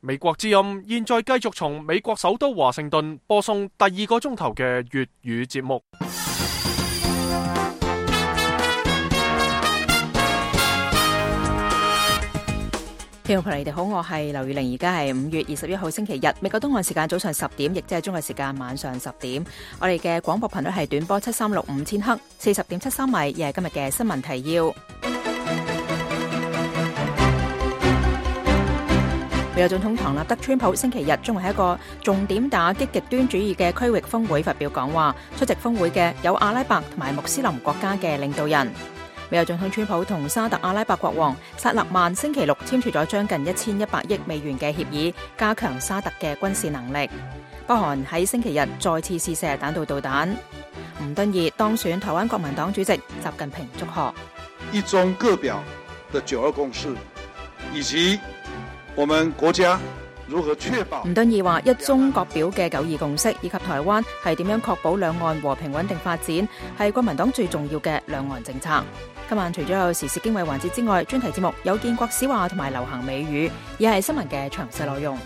美國之音現在繼續從美國首都華盛頓播送第2個鐘頭嘅粵語節目。聽眾朋友你哋好，我係劉宇玲，而家係5月21號星期日，美國東岸時間早上10點，亦即係中國時間晚上10點。我哋嘅廣播頻率係短波7365千赫，40.73米，亦係今日嘅新聞提要。美國總統唐納德·川普星期日將會喺一個重點打擊極端主義嘅區域峰會發表講話，出席峰會嘅有阿拉伯同埋穆斯林國家嘅領導人。美國總統川普同沙特阿拉伯國王薩勒曼星期六簽署咗將近1100億美元嘅協議，加強沙特嘅軍事能力。北韓喺星期日再次試射彈道導彈。吳敦義當選台灣國民黨主席，習近平祝賀一中各表的9·2共識，以及我們國家如何確保。吳敦義話：一中各表嘅9·2共識以及台灣係點樣確保兩岸和平穩定發展，係國民黨最重要嘅兩岸政策。今晚除咗有時事經緯環節之外，專題節目有建國史話同埋流行美語，而係新聞嘅詳細內容。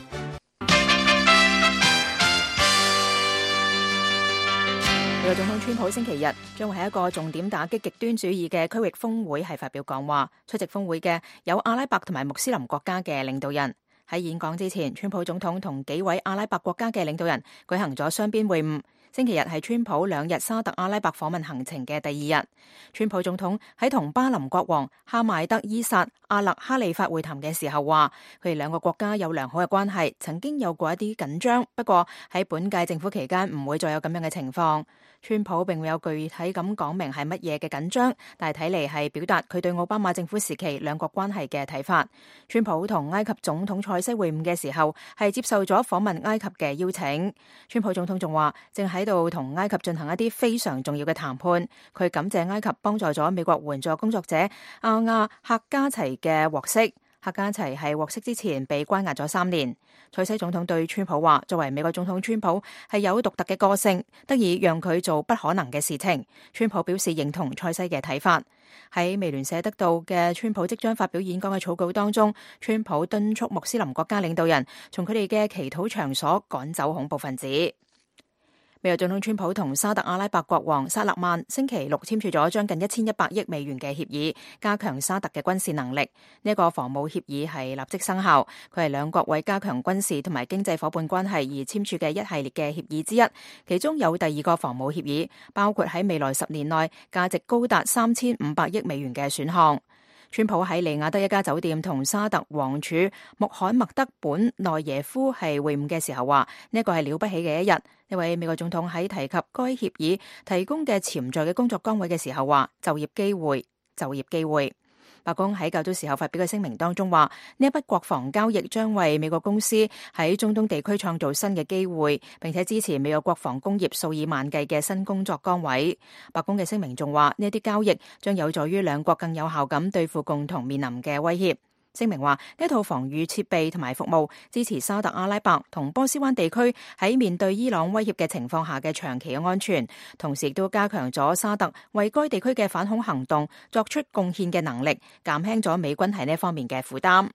美國總統川普星期日將會喺一個重點打擊極端主義嘅區域峰會係發表講話，出席峰會嘅有阿拉伯同埋穆斯林國家嘅領導人。喺演講之前，川普總統同幾位阿拉伯國家嘅領導人舉行咗雙邊會晤。星期日係川普2日沙特阿拉伯訪問行程嘅第2日。川普總統喺同巴林國王哈邁德伊薩阿勒哈利法會談嘅時候話，佢哋兩個國家有良好嘅關係，曾經有過一啲緊張，不過喺本屆政府期間唔會再有咁樣嘅情況。川普並沒有具體咁講明係乜嘢嘅緊張，但係睇嚟係表達佢對奧巴馬政府時期兩國關係嘅睇法。川普同埃及總統塞西會晤嘅時候係接受咗訪問埃及嘅邀請。川普總統仲話正喺度同埃及進行一啲非常重要嘅談判。佢感謝埃及幫助咗美國援助工作者阿亞克加齊嘅獲釋。克加齊係獲釋之前被關押咗3年。塞西總統對川普話：作為美國總統，川普係有獨特嘅個性，得以讓佢做不可能嘅事情。川普表示認同塞西嘅睇法。喺美聯社得到嘅川普即將發表演講嘅草稿當中，川普敦促穆斯林國家領導人從佢哋嘅祈禱場所趕走恐怖分子。美國總統川普同沙特阿拉伯國王薩勒曼星期六簽署咗將近1100億美元嘅協議，加強沙特嘅軍事能力。呢個防務協議係立即生效，佢係兩國為加強軍事同埋經濟夥伴關係而簽署嘅一系列嘅協議之一。其中有第2個防務協議，包括喺未來10年內價值高達3500億美元嘅選項。川普喺利雅得一家酒店同沙特王儲穆罕默德本內耶夫係會晤嘅時候話：呢個係了不起嘅一日。呢位美國總統喺提及該協議提供嘅潛在嘅工作崗位嘅時候話：就業機會。白宮喺較早時候發表嘅聲明當中話：呢一筆國防交易將為美國公司喺中東地區創造新嘅機會，並且支持美國國防工業數以萬計嘅新工作崗位。白宮嘅聲明仲話：呢啲交易將有助於兩國更有效咁對付共同面臨嘅威脅。聲明話呢套防禦設備同埋服務支持沙特阿拉伯同波斯灣地區喺面對伊朗威脅嘅情況下嘅長期嘅安全，同時亦都加強咗沙特為該地區嘅反恐行動作出貢獻嘅能力，減輕咗美軍喺呢方面嘅負擔。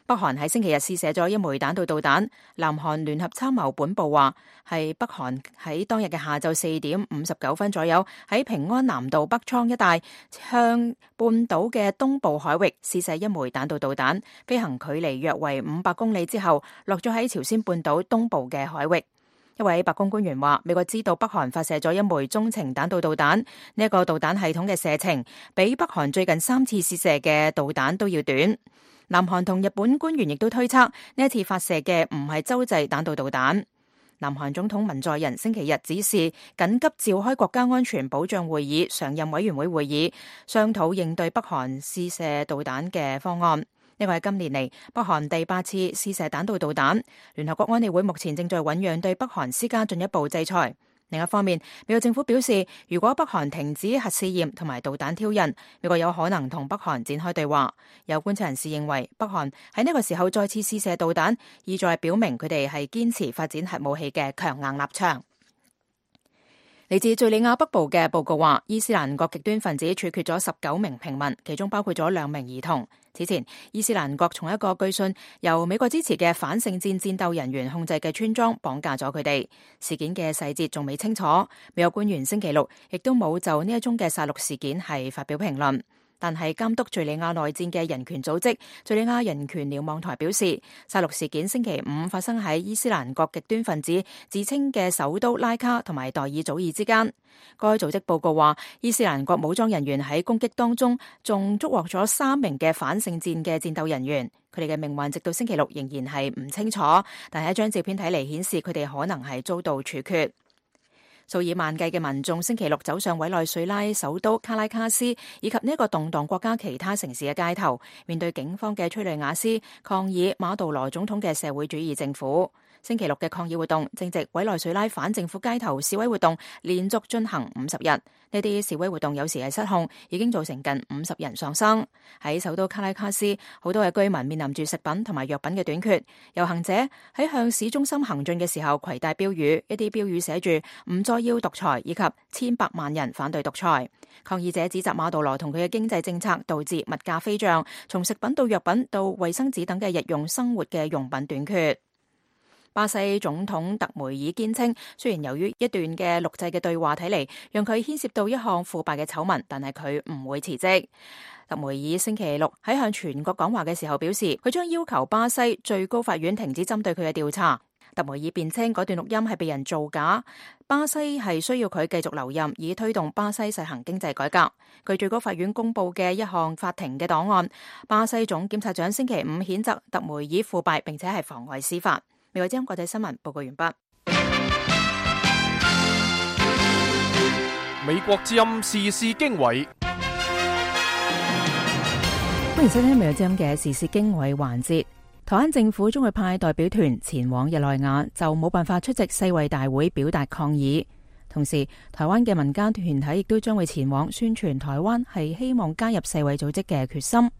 北韓喺星期日試射咗一枚彈道導彈，南韓聯合參謀本部話係北韓喺當日嘅下晝4點59分左右喺平安南道北倉一帶向半島嘅東部海域試射一枚彈道導彈，飛行距離約為500公里之後落咗喺朝鮮半島東部嘅海域。一位白宮官員話：美國知道北韓發射咗一枚中程彈道導彈，呢一個導彈系統嘅射程比北韓最近3次試射嘅導彈都要短。南韓同日本官員亦都推測呢一次發射嘅唔係洲際彈道導彈。南韓總統文在寅星期日指示緊急召開國家安全保障會議常任委員會會議，商討應對北韓試射導彈嘅方案。呢個係今年嚟北韓第8次試射彈道導彈。聯合國安理會目前正在醞釀對北韓施加進一步制裁。另一方面，美國政府表示，如果北韓停止核試驗同埋導彈挑釁，美國有可能同北韓展開對話。有觀察人士認為，北韓喺呢個時候再次試射導彈，意在表明佢哋係堅持發展核武器嘅強硬立場。嚟自敘利亞北部嘅報告話，伊斯蘭國極端分子處決咗19名平民，其中包括咗2名兒童。此前，伊斯蘭國從一個據信由美國支持嘅反聖戰戰鬥人員控制嘅村莊綁架咗佢哋。事件嘅細節仲未清楚，美國官員星期六亦都冇就呢一宗嘅殺戮事件係發表評論。但係監督敘利亞內戰嘅人權組織敘利亞人權瞭望台表示，殺戮事件星期五發生喺伊斯蘭國極端分子自稱嘅首都拉卡同埋代爾祖爾之間。該組織報告話，伊斯蘭國武裝人員喺攻擊當中仲捉獲咗3名嘅反聖戰嘅戰鬥人員，佢哋嘅命運直到星期六仍然係唔清楚，但係一張照片睇嚟顯示佢哋可能係遭到處決。數以萬計嘅民眾星期六走上委內瑞拉首都卡拉卡斯以及呢個動盪國家其他城市嘅街頭，面對警方嘅催淚瓦斯，抗議馬杜羅總統嘅社會主義政府。星期六嘅抗議活動正值委內瑞拉反政府街頭示威活動連續進行50日，呢啲示威活動有時係失控，已經造成近50人喪生。喺首都卡拉卡斯，好多嘅居民面臨住食品同埋藥品嘅短缺。遊行者喺向市中心行進嘅時候攜帶標語，一啲標語寫住唔再要獨裁以及千百萬人反對獨裁。抗議者指責馬杜羅同佢嘅經濟政策導致物價飛漲，從食品到藥品到衛生紙等嘅日用生活嘅用品短缺。巴西總統特梅爾堅稱，雖然由於一段嘅錄製嘅對話睇嚟讓佢牽涉到一項腐敗嘅醜聞，但係佢唔會辭職。特梅爾星期六喺向全國講話嘅時候表示，佢將要求巴西最高法院停止針對佢嘅調查。特梅爾辯稱嗰段錄音係被人造假，巴西係需要佢繼續留任，以推動巴西實行經濟改革。據最高法院公布嘅一項法庭嘅檔案，巴西總檢察長星期五譴責特梅爾腐敗，並且係妨礙司法。美國之音國際新聞報告完畢。美國之音時事經緯，歡迎收聽美國之音嘅時事經緯環節。台灣政府將會派代表團前往日內瓦，就冇辦法出席世衛大會表達抗議。同時，台灣嘅民間團體亦都將會前往宣傳台灣係希望加入世衛組織嘅決心。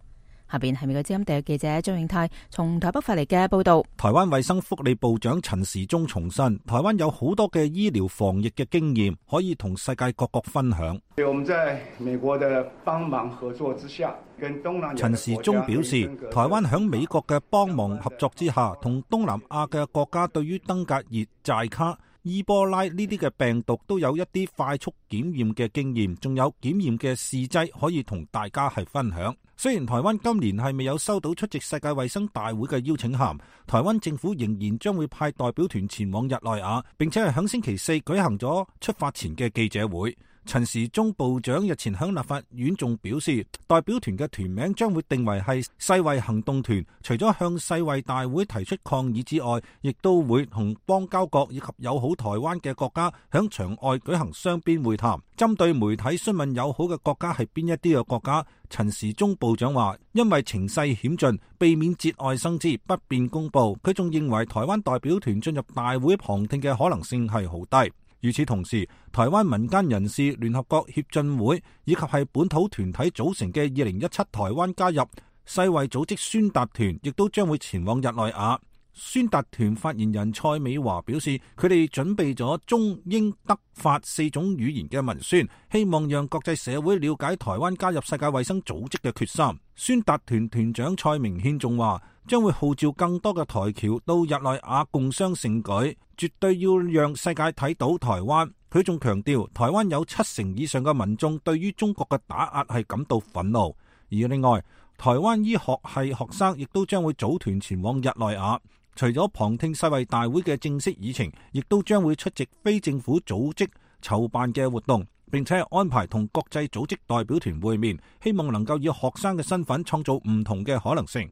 下邊係美國之音特約記者張永泰從台北發嚟嘅報道。台灣衛生福利部長陳時中重申，台灣有好多嘅醫療防疫嘅經驗，可以同世界各國分享。我們在美國的幫忙合作之下，跟東南亞陳時中表示，台灣響美國嘅幫忙合作之下，同東南亞嘅國家對於登革熱、寨卡、伊波拉呢啲嘅病毒都有一啲快速檢驗嘅經驗，仲有檢驗嘅試劑可以同大家係分享。雖然台灣今年係未有收到出席世界衛生大會嘅邀請函，台灣政府仍然將會派代表團前往日內瓦，並且係響星期四舉行咗出發前嘅記者會。陳時中部長日前響立法院仲表示，代表團嘅團名將會定為係世衛行動團，除咗向世衛大會提出抗議之外，亦都會同邦交國以及友好台灣嘅國家響場外舉行雙邊會談。針對媒體詢問友好嘅國家係邊一啲嘅國家，陳時中部長話，因為情勢險峻，避免節外生枝，不便公布。佢仲認為台灣代表團進入大會旁聽嘅可能性係好低。與此同時，台灣民間人士聯合國協進會以及係本土團體組成嘅2017台灣加入世衛組織宣達團，亦都將會前往日內瓦。宣達團發言人蔡美華表示，佢哋準備咗中英德法4種語言嘅文宣，希望讓國際社會了解台灣加入世界衛生組織嘅決心。宣達團團長蔡明憲仲話，將會號召更多嘅台僑到日內瓦共襄盛舉，絕對要讓世界睇到台灣。佢仲強調，台灣有70%以上嘅民眾對於中國嘅打壓係感到憤怒。而另外，台灣醫學系學生亦都將會組團前往日內瓦，除咗旁聽世衛大會嘅正式議程，亦都將會出席非政府組織籌辦嘅活動，並且安排同國際組織代表團會面，希望能夠以學生嘅身份創造唔同嘅可能性。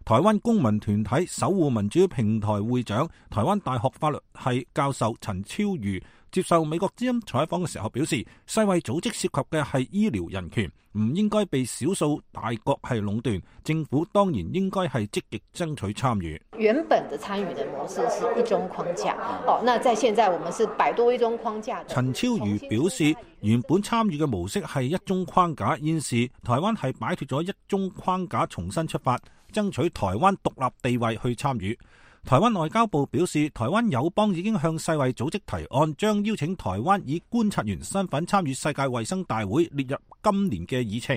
台灣公民團體守護民主平台會長、台灣大學法律系教授陳超瑜接受美國之音採訪嘅時候表示，世衛組織涉及嘅係醫療人權，唔應該被少數大國係壟斷，政府當然應該係積極爭取參與。原本的參與的模式是一中框架，那在現在我們是擺脫一中框架。陳超瑜表示，原本參與嘅模式係一中框架，現時台灣係擺脫咗一中框架，重新出發，爭取台灣獨立地位去參與。台灣外交部表示，台灣友邦已經向世衛組織提案，將邀請台灣以觀察員身份參與世界衛生大會列入今年嘅議程。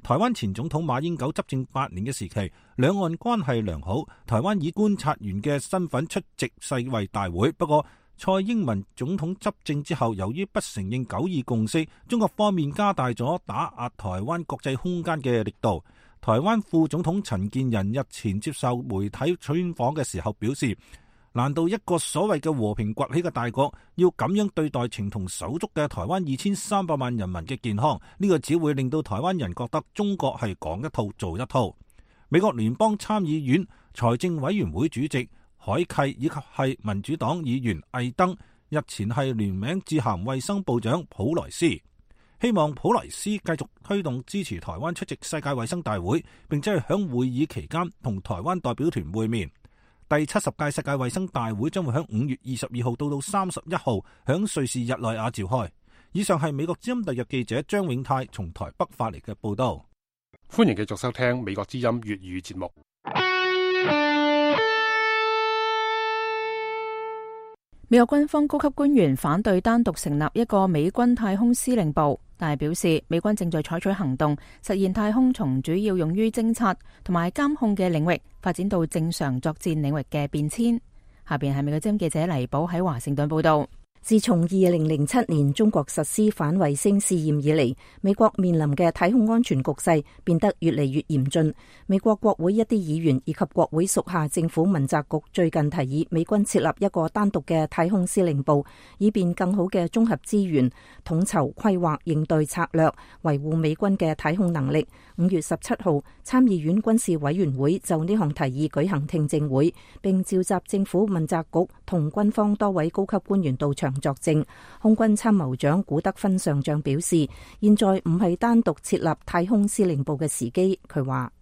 台灣前總統馬英九執政8年嘅時期，兩岸關係良好，台灣以觀察員嘅身份出席世衛大會。不過蔡英文總統執政之後，由於不承認9·2共識，中國方面加大咗打壓台灣國際空間嘅力度。台灣副總統陳建仁日前接受媒體專訪嘅時候表示，難道一個所謂嘅和平崛起嘅大國要咁樣對待情同手足嘅台灣2300萬人民嘅健康？呢個只會令到台灣人覺得中國係講一套做一套。美國聯邦參議院財政委員會主席海契以及係民主黨議員魏登日前係聯名致函衛生部長普萊斯，希望普萊斯繼續推動支持台灣出席世界衛生大會，並且係響會議期間同台灣代表團會面。第70屆世界衛生大會將會喺5月22號到31號響瑞士日內瓦召開。以上係美國之音特約記者張永泰從台北發嚟嘅報道。歡迎繼續收聽美國之音粵語節目。美國軍方高級官員反對單獨成立一個美軍太空司令部，但係表示美軍正在採取行動，實現太空從主要用於偵察同埋監控嘅領域發展到正常作戰領域嘅變遷。下邊係美國之音記者黎寶喺華盛頓報道。自從2007年中國實施反衛星試驗以嚟，美國面臨嘅太空安全局勢變得越嚟越嚴峻。美國國會一啲議員以及國會屬下政府問責局最近提議美軍設立一個單獨嘅太空司令部，以便更好嘅綜合資源、統籌規劃、應對策略，維護美軍嘅太空能力。5月17號，參議院軍事委員會就呢項提議舉行聽證會，並召集政府問責局同軍方多位高級官員到場作證。空軍參謀長古德芬上將表示，現在唔係單獨設立太空司令部嘅時機。佢話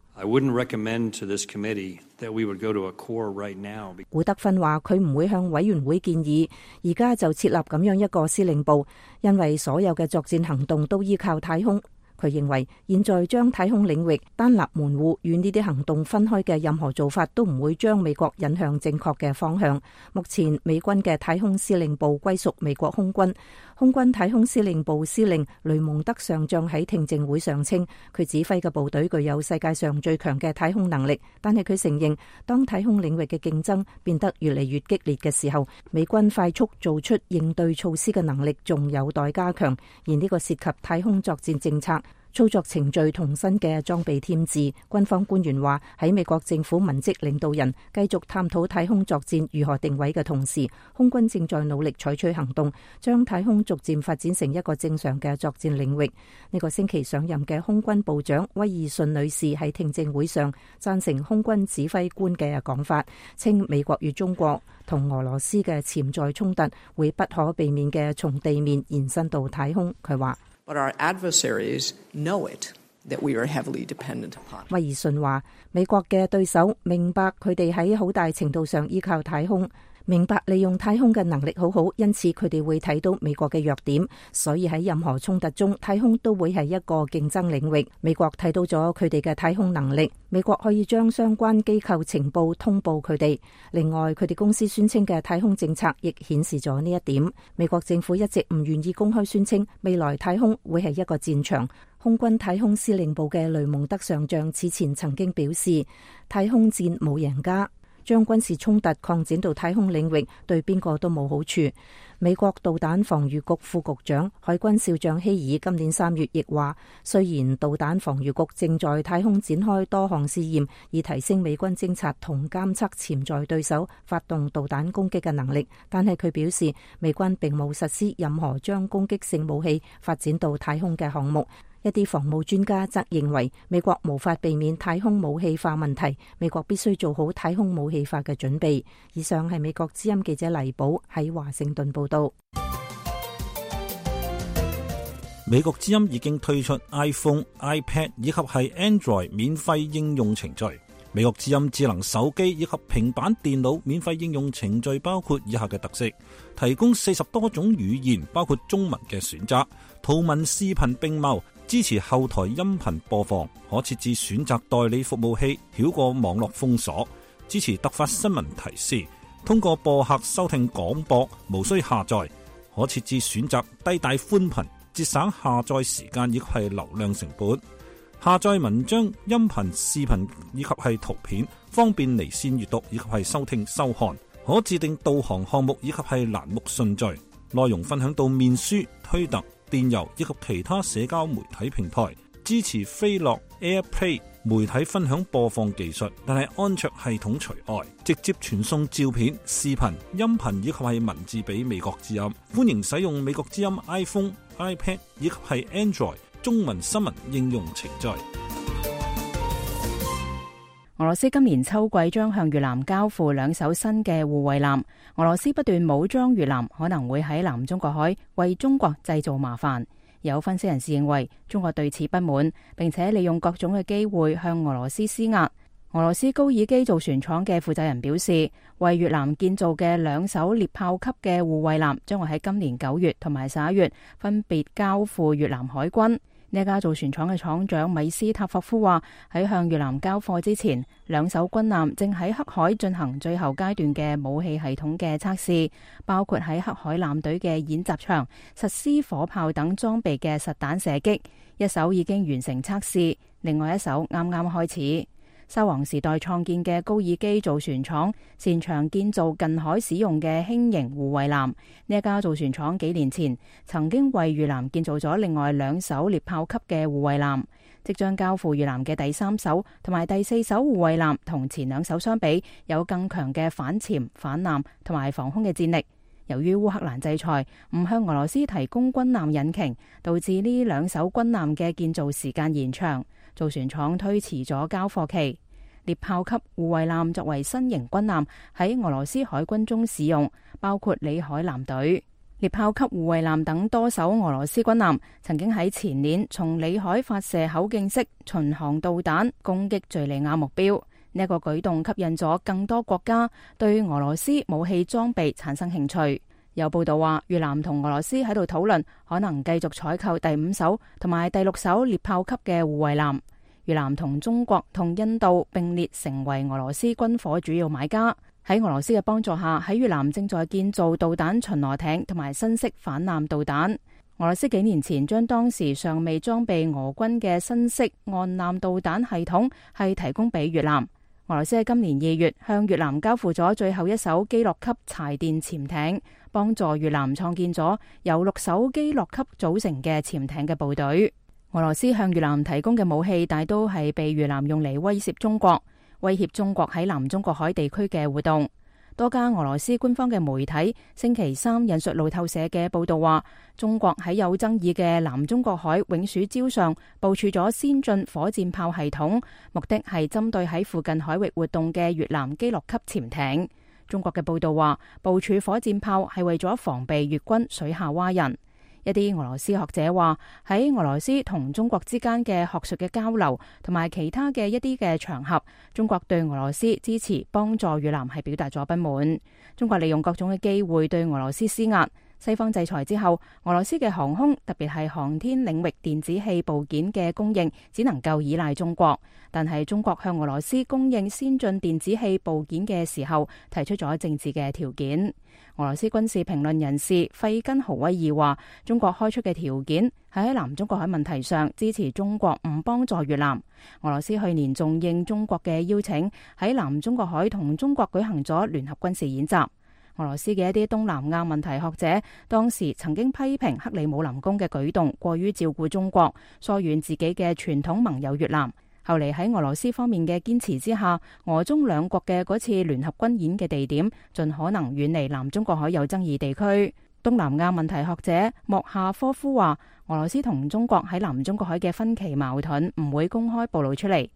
古德芬話佢唔會向委員會建議而家就設立咁樣一個司令部，因為所有嘅作戰行動都依靠太空。佢認為現在將太空領域單立門戶與呢啲行動分開嘅任何做法都唔會將美國引向正確嘅方向。目前美軍嘅太空司令部歸屬美國空軍。空軍太空司令部司令雷蒙德上將喺聽證會上稱，佢指揮嘅部隊具有世界上最強嘅太空能力，但係佢承認當太空領域嘅競爭變得越嚟越激烈嘅時候，美軍快速做出應對措施嘅能力仲有待加強，而呢個涉及太空作戰政策、操作程序同新嘅裝備添置。軍方官員話，喺美國政府文職領導人繼續探討太空作戰如何定位嘅同時，空軍正在努力採取行動，將太空逐漸發展成一個正常嘅作戰領域。呢個星期上任嘅空軍部長威爾遜女士喺聽證會上贊成空軍指揮官嘅講法，稱美國與中國同俄羅斯嘅潛在衝突會不可避免嘅從地面延伸到太空。佢話But our adversaries know it, that we are heavily dependent upon. 威爾遜話，美國嘅對手明白佢哋喺好大程度上依靠太空，明白利用太空嘅能力好好，因此佢哋會睇到美國嘅弱點，所以喺任何衝突中，太空都會係一個競爭領域。美國睇到咗佢哋嘅太空能力，美國可以將相關機構情報通報佢哋。另外，佢哋公司宣稱嘅太空政策亦顯示咗呢一點。美國政府一直唔願意公開宣稱未來太空會係一個戰場。空軍太空司令部嘅雷蒙德上將此前曾經表示，太空戰冇贏家。將軍事衝突擴展到太空領域，對邊個都冇好處。美國導彈防禦局副局長海軍少將希爾今年3月亦話，雖然導彈防禦局正在太空展開多項試驗，以提升美軍偵察同監測潛在對手發動導彈攻擊嘅能力，但係佢表示，美軍並冇實施任何將攻擊性武器發展到太空嘅項目。一啲防務專家則認為，美國無法避免太空武器化問題，美國必須做好太空武器化嘅準備。以上係美國之音記者黎寶喺華盛頓報道。美國之音已經推出 iPhone、iPad 以及係 Android 免費應用程序。美國之音智能手機以及平板電腦免費應用程序包括以下嘅特色：提供40多種語言，包括中文嘅選擇，圖文視頻並茂，支持後台音頻播放，可設置選擇代理服務器，繞過網絡封鎖。支持突發新聞提示，通過播客收聽廣播，無需下載，可設置選擇低帶寬頻，節省下載時間以及係流量成本。下載文章、音頻、視頻以及係圖片，方便離線閱讀以及係收聽收看。可自定導航項目以及係欄目順序，內容分享到面書、推特、電郵以及其他社交媒體平台。支持飛樂 AirPlay 媒體分享播放技術，但係安卓系統除外。直接傳送照片、視頻、音頻以及係文字俾美國之音。歡迎使用美國之音 iPhone、iPad 以及係 Android 中文新聞應用程序。俄羅斯今年秋季將向越南交付2艘新嘅護衛艦。俄羅斯不斷武裝越南，可能會喺南中國海為中國製造麻煩。有分析人士認為，中國對此不滿，並且利用各種嘅機會向俄羅斯施壓。俄羅斯高爾基造船廠嘅負責人表示，為越南建造嘅2艘獵豹級嘅護衛艦將會喺今年9月同埋11月分別交付越南海軍。呢家造船廠嘅廠長米斯塔霍夫話，喺向越南交貨之前，2艘軍艦正喺黑海進行最後階段嘅武器系統嘅測試，包括喺黑海艦隊嘅演習場實施火炮等裝備嘅實彈射擊。1艘已經完成測試，另外1艘啱啱開始。沙皇時代創建嘅高爾基造船廠擅長建造近海使用嘅輕型護衛艦。呢一家造船廠幾年前曾經為越南建造咗另外2艘獵豹級嘅護衛艦。即將交付越南嘅第3艘同埋第4艘護衛艦同前2艘相比，有更強嘅反潛、反艦同埋防空嘅戰力。由於烏克蘭制裁唔向俄羅斯提供軍艦引擎，導致呢2艘軍艦嘅建造時間延長，造船廠推遲咗交貨期。獵豹級護衛艦作為新型軍艦喺俄羅斯海軍中使用，包括里海艦隊。獵豹級護衛艦等多艘俄羅斯軍艦曾經喺前年從里海發射口徑式巡航導彈攻擊敘利亞目標。呢一個舉動吸引咗更多國家對俄羅斯武器裝備產生興趣。有報道話，越南同俄羅斯喺度討論可能繼續採購第5艘同埋第6艘獵豹級嘅護衛艦。越南同中國同印度並列成為俄羅斯軍火主要買家。喺俄羅斯嘅幫助下，喺越南正在建造導彈巡邏艇同埋新式反艦導彈。俄羅斯幾年前將當時尚未裝備俄軍嘅新式岸艦導彈系統係提供俾越南。俄羅斯喺今年2月向越南交付咗最後1艘基洛級柴電潛艇，幫助越南創建咗由6艘基洛級組成嘅潛艇嘅部隊。俄羅斯向越南提供嘅武器大都係被越南用嚟威脅中國，威脅中國喺南中國海地區嘅活動。多家俄羅斯官方嘅媒體星期3引述路透社嘅報道話，中國喺有爭議嘅南中國海永暑礁上部署咗先進火箭炮系統，目的係針對喺附近海域活動嘅越南基洛級潛艇。中國嘅報道話，部署火箭炮係為咗防備越軍水下蛙人。一啲俄羅斯學者話，喺俄羅斯同中國之間嘅學術嘅交流同埋其他嘅一啲嘅場合，中國對俄羅斯支持幫助越南係表達咗不滿。中國利用各種嘅機會對俄羅斯施壓。西方制裁之後，俄羅斯嘅航空，特別係航天領域電子器部件嘅供應只能夠依賴中國。但係中國向俄羅斯供應先進電子器部件嘅時候，提出咗政治嘅條件。俄羅斯軍事評論人士費根豪威爾話，中國開出嘅條件係喺南中國海問題上支持中國唔幫助越南。俄羅斯去年仲應中國嘅邀請，喺南中國海同中國舉行咗聯合軍事演習。俄羅斯嘅一啲東南亞問題學者當時曾經批評克里姆林宮嘅舉動過於照顧中國，疏遠自己嘅傳統盟友越南。後嚟喺俄羅斯方面嘅堅持之下，俄中兩國嘅嗰次聯合軍演嘅地點盡可能遠離南中國海有爭議地區。東南亞問題學者莫夏科夫話，俄羅斯同中國喺南中國海嘅分歧矛盾唔會公開暴露出嚟。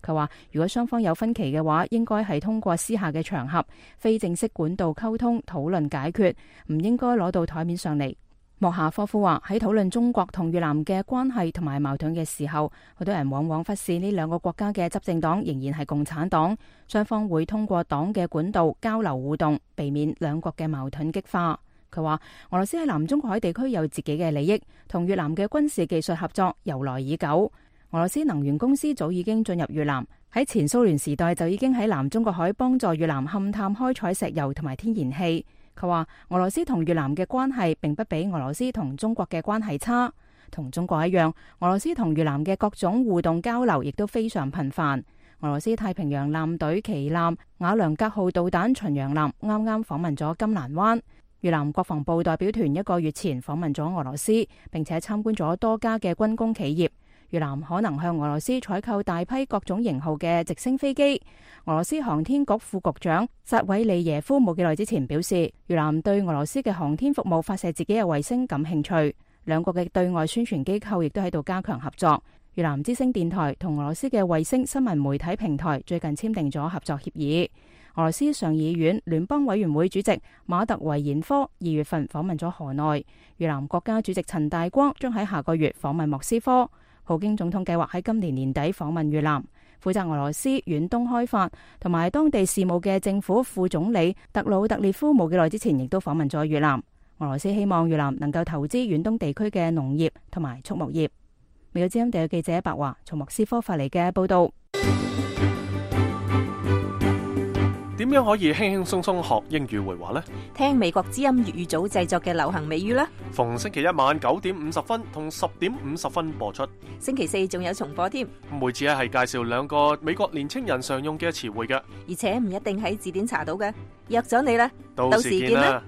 佢話，如果雙方有分歧嘅話，應該係通過私下嘅場合、非正式管道溝通討論解決，唔應該攞到台面上嚟。莫夏科夫話，喺討論中國同越南嘅關係同埋矛盾嘅時候，好多人往往忽視呢兩個國家嘅執政黨仍然係共產黨，雙方會通過黨嘅管道交流互動，避免兩國嘅矛盾激化。佢話俄羅斯喺南中國海地區有自己嘅利益，同越南嘅軍事技術合作由來已久。俄羅斯能源公司早已經進入越南，喺前蘇聯時代就已經喺南中國海幫助越南勘探開採石油同埋天然氣。佢話俄羅斯同越南嘅關係並不比俄羅斯同中國嘅關係差，同中國一樣，俄羅斯同越南嘅各種互動交流亦都非常頻繁。俄羅斯太平洋艦隊旗艦瓦良格號導彈巡洋艦啱啱訪問咗金蘭灣。越南國防部代表團1個月前訪問咗俄羅斯，並且參觀咗多家嘅軍工企業。越南可能向俄羅斯採購大批各種型號嘅直升飛機。俄羅斯航天局副局長扎韋利耶夫冇幾耐之前表示，越南對俄羅斯嘅航天服務發射自己嘅衛星感興趣。兩國嘅對外宣傳機構亦都喺度加強合作。越南之聲電台同俄羅斯嘅衛星新聞媒體平台最近簽訂咗合作協議。俄羅斯上議院聯邦委員會主席馬特維延科2月份訪問咗河內。越南國家主席陳大光將喺下個月訪問莫斯科。普京總統計劃喺今年年底訪問越南。負責俄羅斯遠東開發同埋當地事務嘅政府副總理特魯特列夫冇幾耐之前亦都訪問咗越南。俄羅斯希望越南能夠投資遠東地區嘅農業同埋畜牧業。美國之音地記者白華從莫斯科發嚟嘅報道。點樣可以輕輕鬆鬆學英語會話呢？聽美國之音粵語組製作嘅流行美語啦。逢星期一晚9點50分同10點50分播出。星期四仲有重播添。每次係介紹2個美國年青人常用嘅詞彙嘅，而且唔一定喺字典查到嘅。約咗你啦，到時見啦。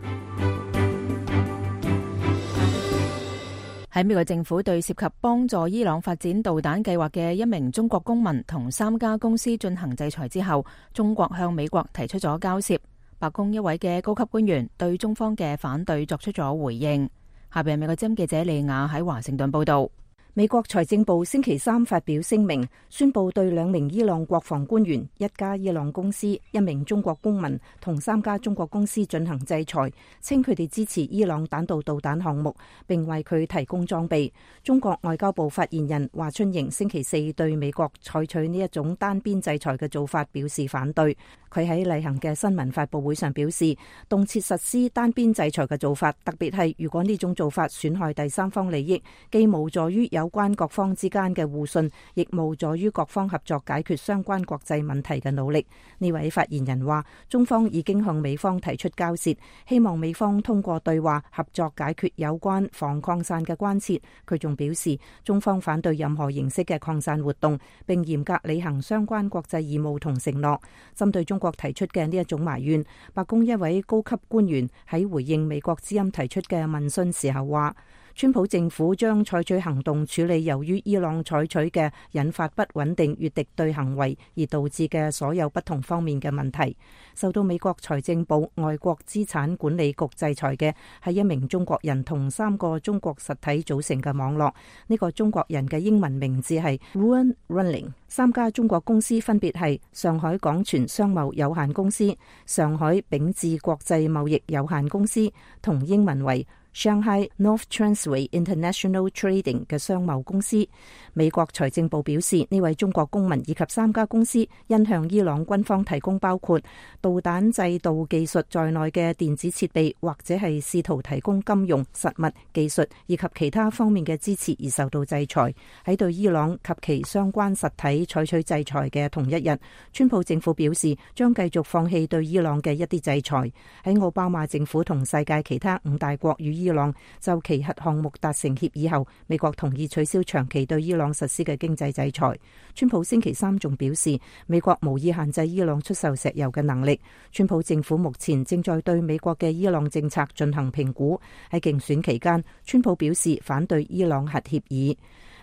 喺美國政府對涉及幫助伊朗發展導彈計劃嘅1名中國公民同3家公司進行制裁之後，中國向美國提出咗交涉。白宮一位嘅高級官員對中方嘅反對作出咗回應。下邊係美國之音記者利亞喺華盛頓報道。美國財政部星期三發表聲明，宣布對2名伊朗國防官員、1家伊朗公司、1名中國公民同3家中國公司進行制裁，稱佢哋支持伊朗彈道導彈項目，並為佢提供裝備。中國外交部發言人華春瑩星期四對美國採取呢一種單邊制裁嘅做法表示反對。佢喺例行嘅新聞發佈會上表示，動輒實施單邊制裁嘅做法，特別係如果呢種做法損害第三方利益，既無助於有關各方之間嘅互信，亦無助於各方合作解決相關國際問題嘅努力。呢位發言人話，中方已經向美方提出交涉，希望美方通過對話合作解決有關防擴散嘅關切。佢仲表示，中方反對任何形式嘅擴散活動，並嚴格履行相關國際義務同承諾。針對中國提出嘅呢一種埋怨，白宮一位高級官員喺回應美國之音提出嘅問訊時候話，川普政府將採取行動處理由於伊朗採取嘅引發不穩定與敵對行為而導致嘅所有不同方面嘅問題。受到美國財政部外國資產管理局制裁嘅係1名中國人同3個中國實體組成嘅網絡。呢個中國人嘅英文名字係 Ruan Running。3家中國公司分別係上海港泉商貿有限公司、上海秉智國際貿易有限公司同英文為Shanghai North Transway International Trading 嘅商貿公司。美國財政部表示，呢位中國公民以及3家公司因向伊朗軍方提供包括導彈制導技術在內嘅電子設備，或者係試圖提供金融、實物、技術以及其他方面嘅支持而受到制裁。喺對伊朗及其相關實體採取制裁嘅同一日，川普政府表示將繼續放棄對伊朗嘅一啲制裁。喺奧巴馬政府同世界其他5大國與伊朗就其核項目達成協議後，美國同意取消長期對伊朗實施嘅經濟制裁。川普星期三仲表示，美國無意限制伊朗出售石油嘅能力。川普政府目前正在對美國嘅伊朗政策進行評估。喺競選期間，川普表示反對伊朗核協議。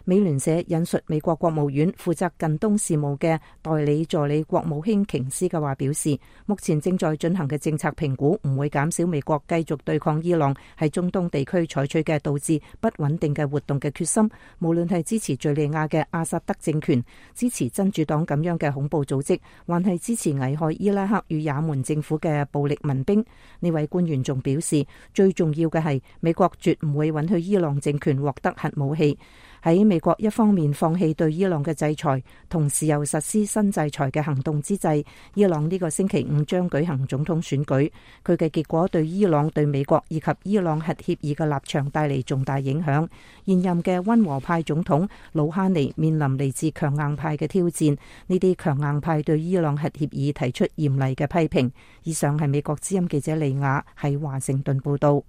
美聯社引述美國國務院負責近東事務嘅代理助理國務卿瓊斯嘅話表示，目前正在進行嘅政策評估唔會減少美國繼續對抗伊朗喺中東地區採取嘅導致不穩定嘅活動嘅決心，無論係支持敘利亞嘅阿薩德政權、支持真主黨咁樣嘅恐怖組織，還係支持危害伊拉克與也門政府嘅暴力民兵。呢位官員仲表示，最重要嘅係美國絕唔會允許伊朗政權獲得核武器。喺美國一方面放棄對伊朗嘅制裁，同時又實施新制裁嘅行動之際，伊朗呢個星期五將舉行總統選舉。佢嘅結果對伊朗、對美國以及伊朗核協議嘅立場帶嚟重大影響。現任嘅溫和派總統魯哈尼面臨嚟自強硬派嘅挑戰，呢啲強硬派對伊朗核協議提出嚴厲嘅批評。以上係美國之音記者利亞喺華盛頓報道。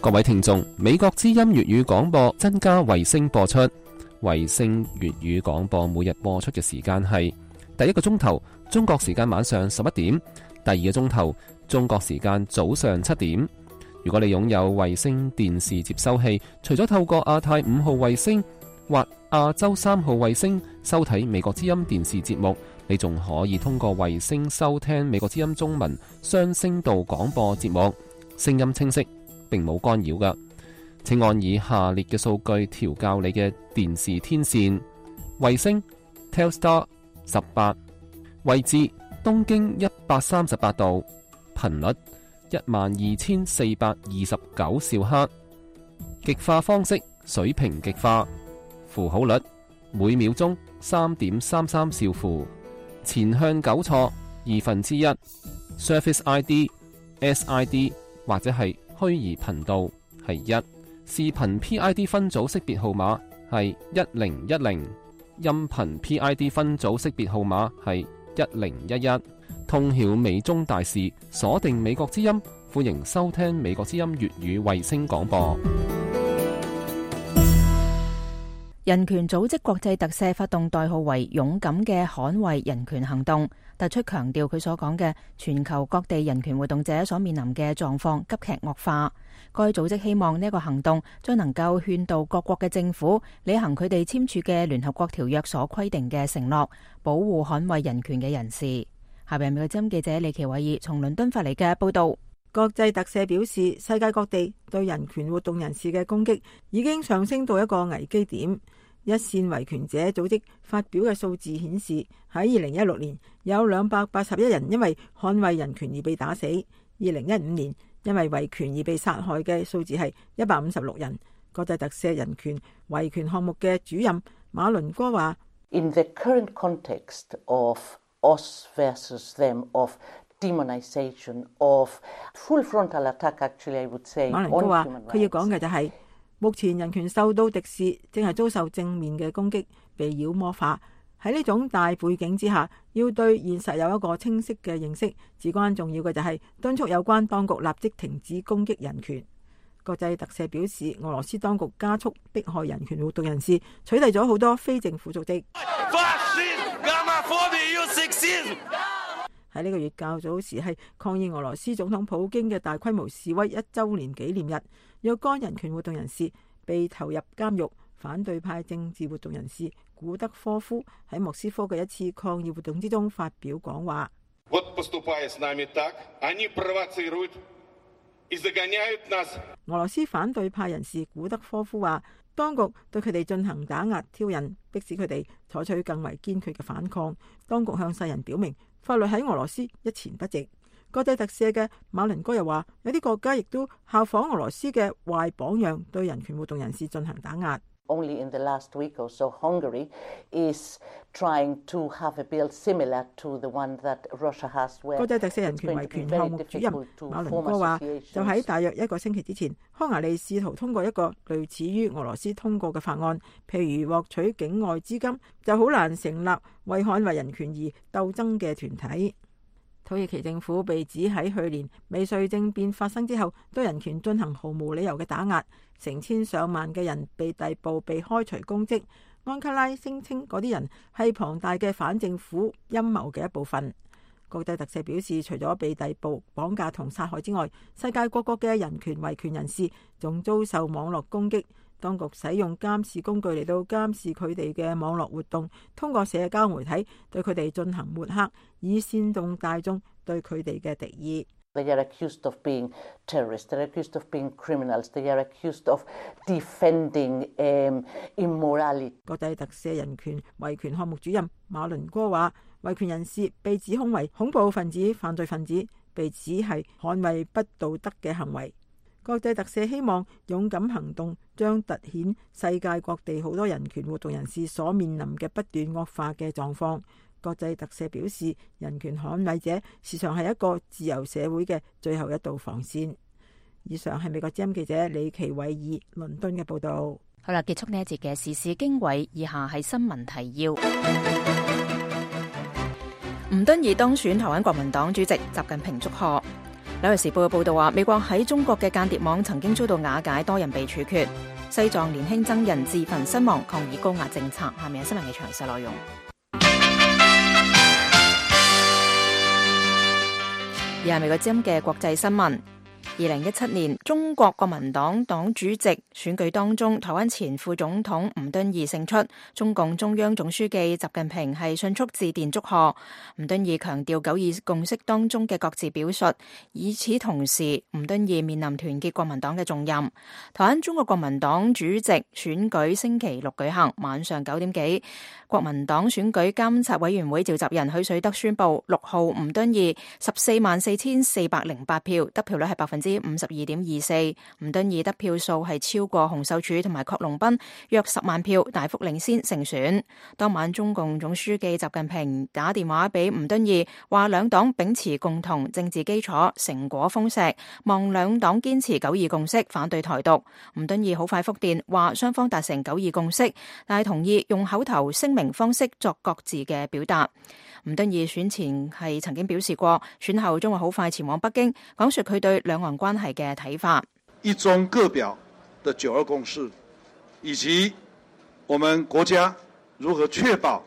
各位聽眾，美國之音粵語廣播增加衛星播出。衛星粵語廣播每日播出嘅時間係第一個鐘頭中國時間晚上11點，第二個鐘頭中國時間早上7點。如果你擁有衛星電視接收器，除咗透過亞太5號衛星或亞洲3號衛星收睇美國之音電視節目，你仲可以通過衛星收聽美國之音中文雙聲道廣播節目，聲音清晰，並冇干擾㗎。請按以下列嘅數據調校你嘅電視天線：衛星 Telstar 18，位置東經138度，頻率12429兆赫，極化方式水平極化，符號率每秒鐘3.33兆符，前向糾錯1/2， Surface ID、SID 或者係虛擬頻道係1，視頻 PID 分組識別號碼係1010，音頻 PID 分組識別號碼係1011。通曉美中大事，鎖定美國之音，歡迎收聽美國之音粵語衛星廣播。人權組織國際特赦發動代號為勇敢嘅捍衛人權行動，突出強調佢所講嘅全球各地人權活動者所面臨嘅狀況急劇惡化。該組織希望呢一個行動將能夠勸導各國嘅政府履行佢哋簽署嘅聯合國條約所規定嘅承諾，保護捍衛人權嘅人士。下邊美國之音記者李奇偉爾從倫敦發嚟嘅報道。國際特赦表示，世界各地對人權活動人士嘅攻擊已經上升到一個危機點。一線維權者組織發表嘅數字顯示，喺2016年有281人因為捍衛人權而被打死，2015年因為維權而被殺害嘅數字係156人。國際特赦人權維權項目嘅主任馬倫哥話：In the current context of us versus them, of demonization, of full frontal attack, actually I would say。馬倫哥話：佢要講嘅就係目前人權受到敵視，正係遭受正面嘅攻擊，被妖魔化。喺呢種大背景之下，要對現實有一個清晰嘅認識，至關重要嘅就係敦促有關當局立即停止攻擊人權。國際特赦表示，俄羅斯當局加速迫害人權活動人士，取締咗好多非政府組織。喺呢個月較早時係抗議俄羅斯總統普京嘅大規模示威1週年紀念日，若干人權活動人士被投入監獄。反對派政治活動人士古德科夫喺莫斯科嘅一次抗議活動之中發表講話。俄羅斯反對派人士古德科夫話，當局對佢哋進行打壓挑釁，迫使佢哋採取更為堅決嘅反抗。當局向世人表明，法律喺俄羅斯一錢不值。國際特赦嘅馬倫哥又話，有啲國家亦都效仿俄羅斯嘅壞榜樣，對人權活動人士進行打壓。Only in the last week or so, Hungary is trying to have a bill similar to the one that Russia has. 國際特赦人權維權項目主任馬倫哥話，就喺大約1個星期之前，匈牙利試圖通過一個類似於俄羅斯通過嘅法案，譬如獲取境外資金，就好難成立為捍衛人權而鬥爭嘅團體。土耳其政府被指喺去年未遂政變發生之後，對人權進行毫無理由嘅打壓，成千上萬嘅人被逮捕、被開除公職。安卡拉聲稱嗰啲人係龐大嘅反政府陰謀嘅一部分。國際特赦表示，除咗被逮捕、綁架同殺害之外，世界各國嘅人權維權人士仲遭受網絡攻擊。當局使用監視工具嚟到監視佢哋嘅網絡活動，通過社交媒體對佢哋進行抹黑，以煽動大眾對佢哋嘅敵意。They are accused of being terrorists. They are accused of being criminals. They are accused of defending immorality. 國際特赦人權維權項目主任馬倫哥話，維權人士被指控為恐怖分子、犯罪分子，被指係捍衛不道德嘅行為。國際特赦希望勇敢行動將凸顯世界各地好多人權活動人士所面臨嘅不斷惡化嘅狀況。國際特赦表示，人權捍衛者時常係一個自由社會嘅最後一道防線。以上係美國之音記者李奇偉爾倫敦嘅報道。好啦，結束呢一節嘅時事經緯，以下係新聞提要。吳敦義當選台灣國民黨主席，習近平祝賀。紐約時報嘅報道話，美國喺中國嘅間諜網曾經遭到瓦解，多人被處決。西藏年輕僧人自焚身亡，抗議高壓政策。下面係新聞嘅詳細內容。而係美國之音嘅國際新聞。2017年中國國民黨黨主席選舉當中，台灣前副總統吳敦義勝出，中共中央總書記習近平係迅速致電祝賀。吳敦義強調九二共識當中嘅各自表述，與此同時，吳敦義面臨團結國民黨嘅重任。台灣中國國民黨主席選舉星期六舉行，晚上9點幾，國民黨選舉監察委員會召集人許水德宣布，6號吳敦義144408票，得票率係52.24%。吳敦義得票數係超過洪秀柱同埋郝龍斌約10萬票，大幅領先勝選。當晚中共總書記習近平打電話俾吳敦義，話兩黨秉持共同政治基礎，成果豐碩，望兩黨堅持九二共識，反對台獨。吳敦義好快覆電話雙方達成九二共識，但係同意用口頭聲明方式作各自嘅表達。吳敦義選前係曾經表示過，選後將會好快前往北京，講述佢對兩岸關係嘅睇法。一中各表的九二共識，以及我們國家如何確保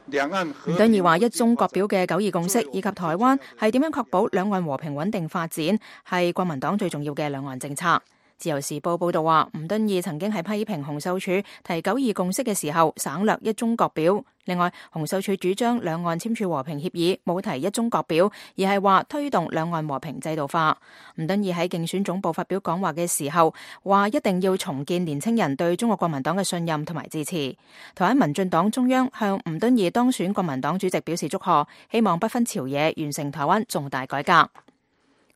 兩岸和平。吳敦義話一中各表嘅九二共識以及台灣係點樣確保兩岸和平穩定發展，係國民黨最重要嘅兩岸政策。自由時報報道話，吳敦義曾經係批評洪秀柱提九二共識嘅時候省略一中各表。另外，洪秀柱主張兩岸簽署和平協議，冇提一中各表，而係話推動兩岸和平制度化。吳敦義喺競選總部發表講話嘅時候，話一定要重建年輕人對中國國民黨嘅信任同埋支持。台灣民進黨中央向吳敦義當選國民黨主席表示祝賀，希望不分朝野完成台灣重大改革。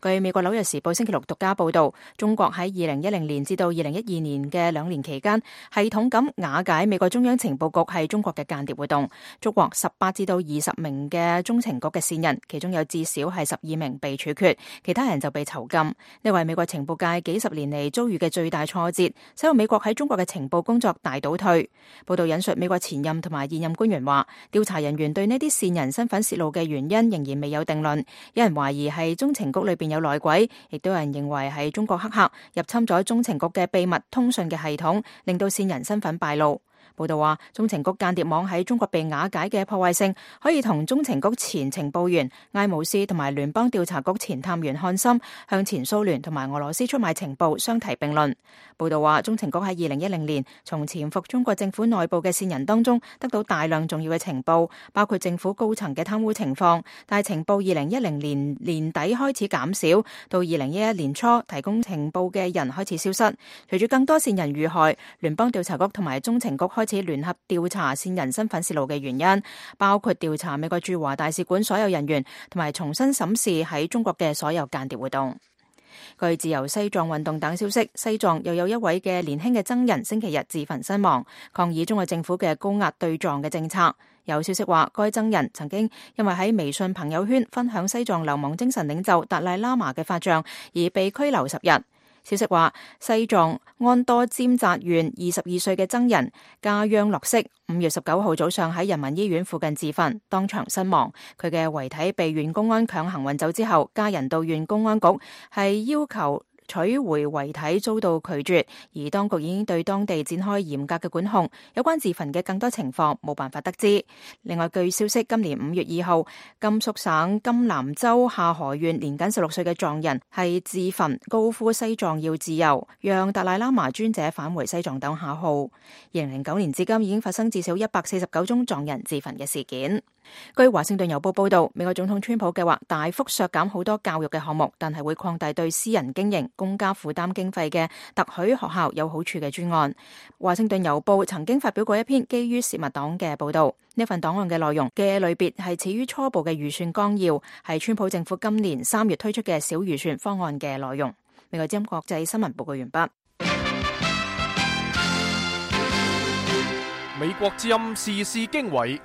據美國紐約時報星期六獨家報道，中國喺2010年至到2012年嘅2年期間，系統咁瓦解美國中央情報局係中國嘅間諜活動，捉獲18至到20名嘅中情局嘅線人，其中有至少係12名被處決，其他人就被囚禁。呢為美國情報界幾十年嚟遭遇嘅最大挫折，使到美國喺中國嘅情報工作大倒退。報道引述美國前任同埋現任官員話，調查人員對呢啲線人身份泄露嘅原因仍然未有定論，有人懷疑係中情局裏邊有內鬼，亦都有人認為係中國黑客入侵咗中情局嘅秘密通訊嘅系統，令到線人身份敗露。報道話，中情局間諜網喺中國被瓦解嘅破壞性，可以同中情局前情報員艾姆斯同埋聯邦調查局前探員漢森向前蘇聯同埋俄羅斯出賣情報相提並論。報道話，中情局喺2010年從潛伏中國政府內部嘅線人當中得到大量重要嘅情報，包括政府高層嘅貪污情況，但係情報2010年年底開始減少，到2011年初提供情報嘅人開始消失。隨住更多線人遇害，聯邦調查局同埋中情局開始聯合調查線人身份泄露嘅原因，包括調查美國駐華大使館所有人員，同埋重新審視喺中國嘅所有間諜活動。據自由西藏運動等消息，西藏又有一位嘅年輕嘅僧人星期日自焚身亡，抗議中國政府嘅高壓對藏嘅政策。有消息話，該僧人曾經因為喺微信朋友圈分享西藏流亡精神領袖達賴喇嘛嘅法像而被拘留10日。消息話，西藏安多尖扎縣22歲嘅僧人加央洛色5月19號早上喺人民醫院附近自焚，當場身亡。佢嘅遺體被縣公安強行運走之後，家人到縣公安局係要求取回遺體遭到拒絕，而當局已經對當地展開嚴格嘅管控。有關自焚嘅更多情況冇辦法得知。另外，據消息，今年5月2號，甘肅省甘南州下河縣年僅16歲嘅藏人係自焚，高呼西藏要自由，讓達賴喇嘛尊者返回西藏等口號。2009年至今已經發生至少149宗藏人自焚嘅事件。據華盛頓郵報報道，美國總統川普計劃大幅削減好多教育嘅項目，但係會擴大對私人經營、公家負擔經費嘅特許學校有好處嘅專案。華盛頓郵報曾經發表過一篇基於洩密黨嘅報道，呢份檔案嘅內容嘅類別係始於初步嘅預算綱要，係川普政府今年3月推出嘅小預算方案嘅內容。美國之音國際新聞報告完畢。美國之音時事經緯，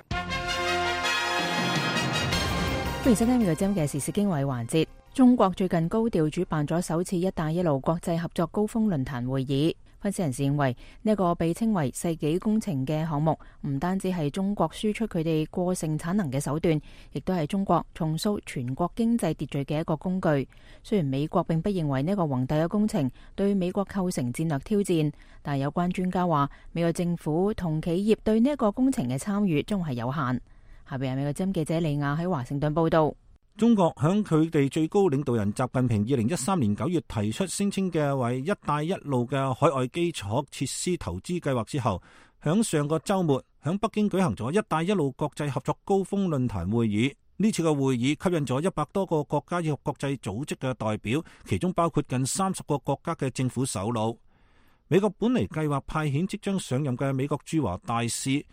歡迎收聽美國之音嘅時事經緯環節。中國最近高調主辦咗首次「一帶一路」國際合作高峰論壇會議。分析人士認為，呢個被稱為世紀工程嘅項目，唔單止係中國輸出佢哋過剩產能嘅手段，亦都係中國重塑全國經濟秩序嘅一個工具。雖然美國並不認為呢個宏大嘅工程對美國構成戰略挑戰，但有關專家話，美國政府同企業對呢個工程嘅參與將係有限。下邊係美國之音記者李亞喺華盛頓報道。中國響佢哋最高領導人習近平2013年9月提出聲稱嘅為一帶一路嘅海外基礎設施投資計劃之後，響上個週末響北京舉行咗一帶一路國際合作高峰論壇會議。呢次嘅會議吸引咗100多個國家以及國際組織嘅代表，其中包括近30個國家嘅政府首腦。美國本嚟計劃派遣即將上任嘅美國駐華大使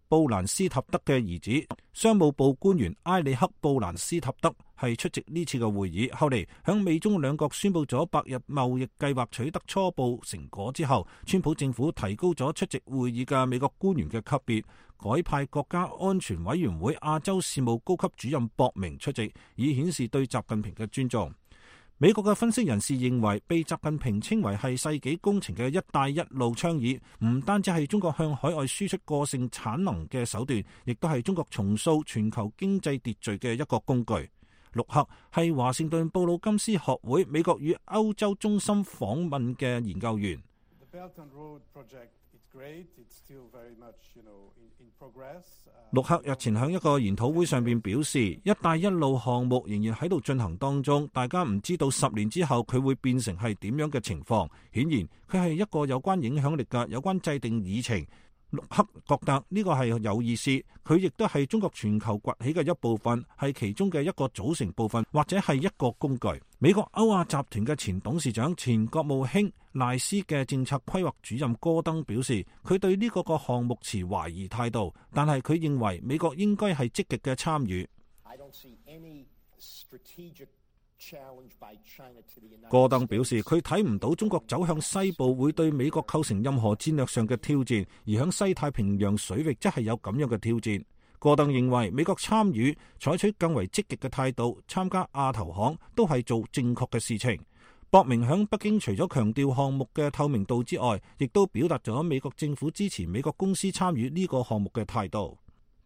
布蘭斯塔德嘅兒子，商務部官員埃里克布蘭斯塔德係出席呢次嘅會議。後嚟響美中兩國宣布咗百日貿易計劃取得初步成果之後，川普政府提高咗出席會議嘅美國官員嘅級別，改派國家安全委員會亞洲事務高級主任博明出席，以顯示對習近平嘅尊重。美國嘅分析人士認為，被習近平稱為係世紀工程嘅一帶一路倡議，唔單止係中國向海外輸出過剩產能嘅手段，亦都係中國重塑全球經濟秩序嘅一個工具。陸克係華盛頓布魯金斯學會美國與歐洲中心訪問嘅研究員。陸克日前喺一個研討會上邊表示，一帶一路項目仍然喺度進行當中，大家唔知道10年之後佢會變成係點樣嘅情況。顯然佢係一個有關影響力嘅有關制定議程。陸克覺得呢個係有意思，佢亦都係中國全球崛起嘅一部分，係其中嘅一個組成部分，或者係一個工具。美國歐亞集團嘅前董事長、前國務卿賴斯嘅政策規劃主任戈登表示，佢對呢個項目持懷疑態度，但係佢認為美國應該係積極嘅參與。戈登表示，佢睇唔到中國走向西部會對美國構成任何戰略上嘅挑戰，而響西太平洋水域則係有咁樣嘅挑戰。戈登認為美國參與採取更為積極嘅態度，參加亞投行都係做正確嘅事情。博明響北京除咗強調項目嘅透明度之外，亦都表達咗美國政府支持美國公司參與呢個項目嘅態度。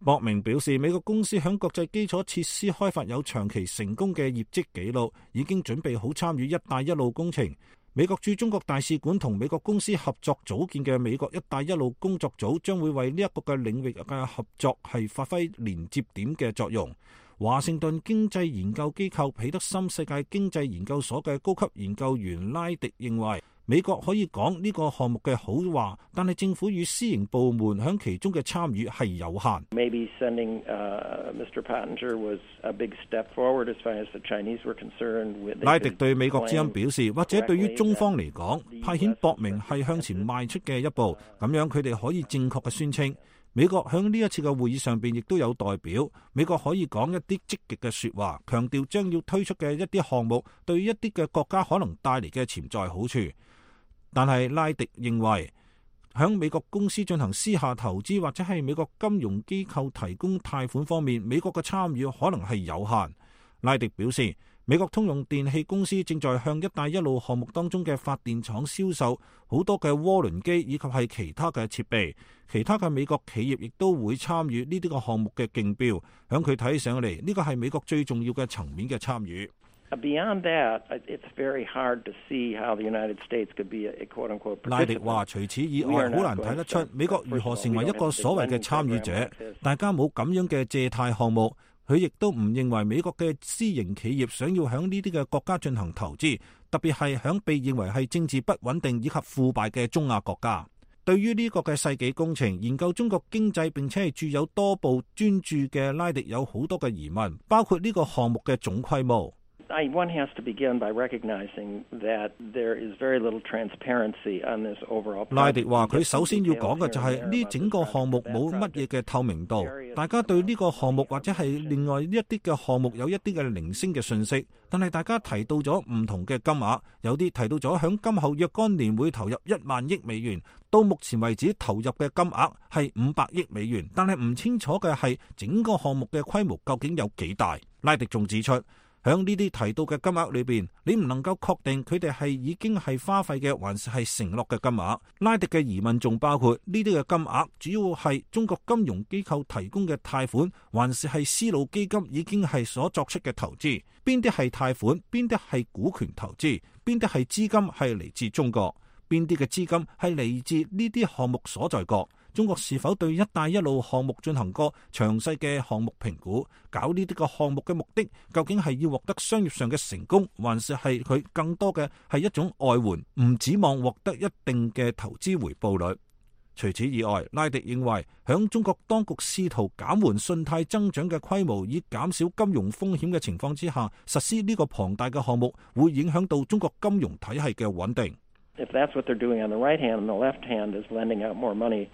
博明表示，美國公司響國際基礎設施開發有長期成功嘅業績記錄，已經準備好參與一帶一路工程。美國駐中國大使館同美國公司合作組建嘅美國一帶一路工作組將會為呢一個嘅領域嘅合作係發揮連接點嘅作用。華盛頓經濟研究機構彼得森世界經濟研究所嘅高級研究員拉迪認為，美國可以講呢個項目嘅好話，但係政府與私營部門響其中嘅參與係有限。Maybe sending Mr. Pottinger was a big step forward as far as the Chinese were concerned. 拉迪對美國之音表示，或者對於中方嚟講，派遣博明係向前邁出嘅一步，咁樣佢哋可以正確嘅宣稱。美國響呢一次嘅會議上邊亦都有代表，美國可以講一啲積極嘅說話，強調將要推出嘅一啲項目對於一啲嘅國家可能帶嚟嘅潛在好處。但係拉迪認為，響美國公司進行私下投資或者係美國金融機構提供貸款方面，美國嘅參與可能係有限。拉迪表示，美國通用電氣公司正在向一帶一路項目當中嘅發電廠銷售好多嘅渦輪機以及係其他嘅設備，其他嘅美國企業亦都會參與呢啲個項目嘅競標。響佢睇上嚟，呢個係美國最重要嘅層面嘅參與。Beyond that, it's very hard to see how the United States could be a quote-unquote participant. 拉迪話：除此以外，好難睇得出美國如何成為一個所謂嘅參與者。大家冇咁樣嘅借貸項目，佢亦都唔認為美國嘅私營企業想要響呢啲嘅國家進行投資，特別係響被認為係政治不穩定以及腐敗嘅中亞國家。對於呢個嘅世紀工程，研究中國經濟並且係著有多部專著嘅拉迪有好多嘅疑問，包括呢個項目嘅總規模。One has to begin by recognizing that there is very little transparency on this overall project. 拉迪話：佢首先要講嘅就係呢整個項目冇乜嘢嘅透明度，大家對呢個項目或者係另外一啲嘅項目有一啲嘅零星嘅信息，但係大家提到咗唔同嘅金額，有啲提到咗響今後若干年會投入1萬億美元，到目前為止投入嘅金額係500億美元，但係唔清楚嘅係整個項目嘅規模究竟有幾大。拉迪仲指出，響呢啲提到嘅金額裏邊，你唔能夠確定佢哋係已經係花費嘅，還是係承諾嘅金額。拉迪嘅疑問仲包括呢啲嘅金額主要係中國金融機構提供嘅貸款，還是係絲路基金已經係所作出嘅投資？邊啲係貸款，邊啲係股權投資，邊啲係資金係嚟自中國，邊啲嘅資金係嚟自呢啲項目所在國？中國是否對一帶一路項目進行過詳細嘅項目評估？搞呢啲個項目嘅目的究竟係要獲得商業上嘅成功，還是係佢更多嘅係一種外援，唔指望獲得一定嘅投資回報率？除此以外，拉迪認為響中國當局試圖減緩信貸增長嘅規模，以減少金融風險嘅情況之下，實施呢個龐大嘅項目會影響到中國金融體系嘅穩定。If that's what they're doing on the right hand, and the left hand is lending out more money.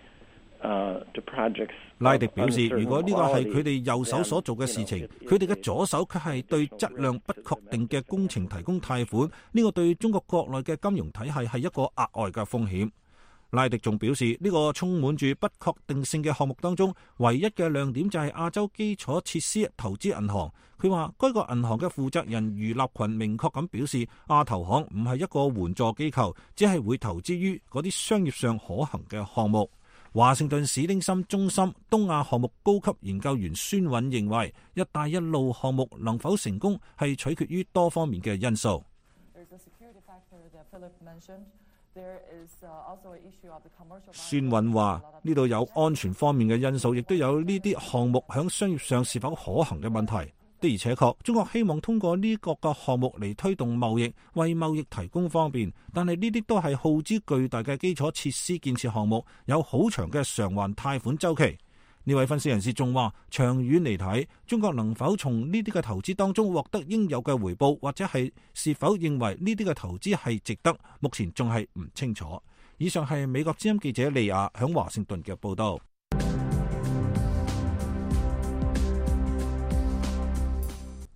拉迪表示，如果呢個係佢哋右手所做嘅事情，佢哋嘅左手卻係對質量不確定嘅工程提供貸款，呢個對中國國內嘅金融體系係一個額外嘅風險。拉迪仲表示，呢個充滿住不確定性嘅項目當中，唯一嘅亮點就係亞洲基礎設施投資銀行。佢話，該個銀行嘅負責人余立群明確咁表示，亞投行唔係一個援助機構，只係會投資於嗰啲商業上可行嘅項目。華盛頓史丁森中心東亞項目高級研究員孫韻認為，一帶一路項目能否成功係取決於多方面嘅因素。孫韻話，呢度有安全方面嘅因素，亦都有呢啲項目響商業上是否可行嘅問題。的而且確，中國希望通過呢個嘅項目嚟推動貿易，為貿易提供方便，但係呢啲都係耗資巨大嘅基礎設施建設項目，有好長嘅償還貸款週期。呢位分析人士仲話，長遠嚟睇，中國能否從呢啲嘅投資當中獲得應有嘅回報，或者係是否認為呢啲嘅投資係值得，目前仲係唔清楚。以上係美國之音記者利亞響華盛頓嘅報道。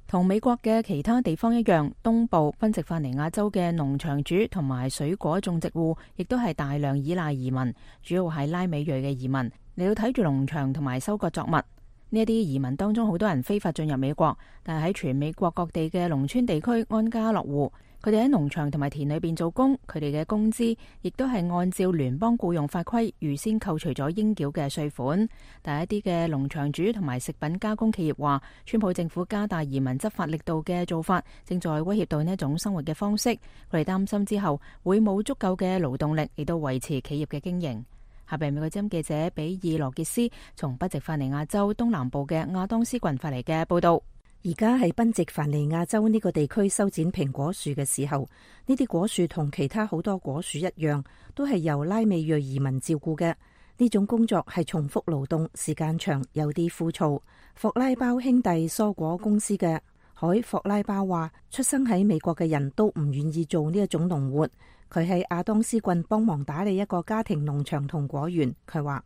同美國嘅其他地方一樣，東部賓夕法尼亞州嘅農場主同埋水果種植戶，亦都係大量依賴移民，主要係拉美裔嘅移民嚟到睇住農場同埋收割作物。呢一啲移民當中，好多人非法進入美國，但係喺全美國各地嘅農村地區安家落戶。佢哋喺農場同埋田裏邊做工，佢哋嘅工資亦都係按照聯邦僱傭法規預先扣除咗應繳嘅稅款。但係一啲嘅農場主同埋食品加工企業話，川普政府加大移民執法力度嘅做法，正在威脅到呢一種生活嘅方式。佢哋擔心之後會冇足夠嘅勞動力嚟到維持企業嘅經營。下邊美國之音記者比爾羅傑斯從賓夕法尼亞州東南部嘅亞當斯郡發嚟嘅報道。而家喺賓夕法尼亞州呢個地區修剪蘋果樹嘅時候，呢啲果樹同其他好多果樹一樣，都係由拉美裔移民照顧嘅。呢種工作係重複勞動，時間長，有啲枯燥。霍拉包兄弟蔬果公司嘅海霍拉包話，出生喺美國嘅人都唔願意做呢一種農活。佢喺亞當斯郡幫忙打理一個家庭農場同果園。佢話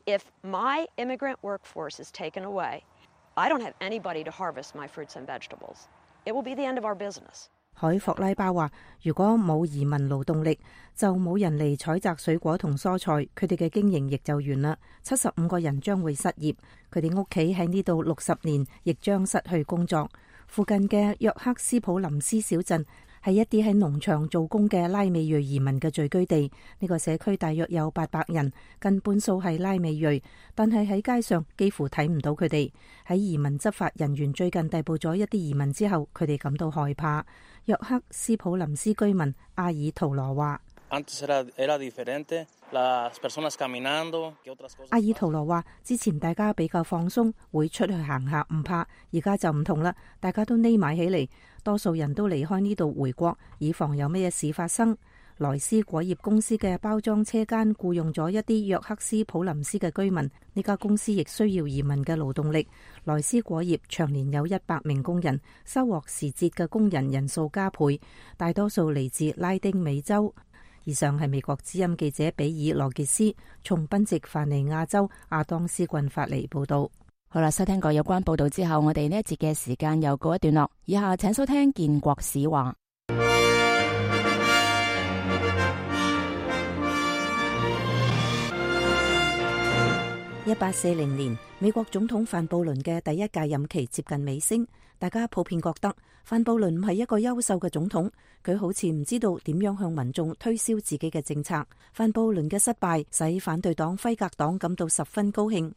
：If my immigrant workforce is taken away,I don't have anybody to harvest my fruits and vegetables. It will be the end of our business. 海霍拉巴話：如果冇移民勞動力，就冇人嚟採摘水果同蔬菜，佢哋嘅經營亦就完啦。75個人將會失業，佢哋屋企喺呢度60年，亦將失去工作。附近嘅約克斯普林斯小鎮係一啲喺農場做工嘅拉美裔移民嘅聚居地。呢個社區大約有800人，近半數係拉美裔，但係喺街上幾乎睇唔到佢哋。喺移民執法人員最近逮捕咗一啲移民之後，佢哋感到害怕。約克斯普林斯居民阿爾圖羅話：阿爾圖羅話，之前大家比較放鬆，會出去行下唔怕，而家就唔同啦，大家都匿埋起嚟，多數人都離開呢度回國，以防有咩事發生。萊斯果業公司嘅包裝車間僱用咗一啲約克斯普林斯嘅居民，呢家公司亦需要移民嘅勞動力。萊斯果業長年有100名工人，收穫時節嘅工人人數加倍，大多數嚟自拉丁美洲。以上係美國之音記者比爾羅傑斯從賓夕法尼亞州亞當斯郡發嚟報道。好啦，收聽過有關報道之後，我哋呢一節嘅時間又告一段落。以下請收聽建國史話。1840年，美國總統范布倫嘅第一屆任期接近尾聲，大家普遍覺得范布倫唔係一個優秀嘅總統，佢好似唔知道點樣向民眾推銷自己嘅政策。范布倫嘅失敗使反對黨輝格黨感到十分高興。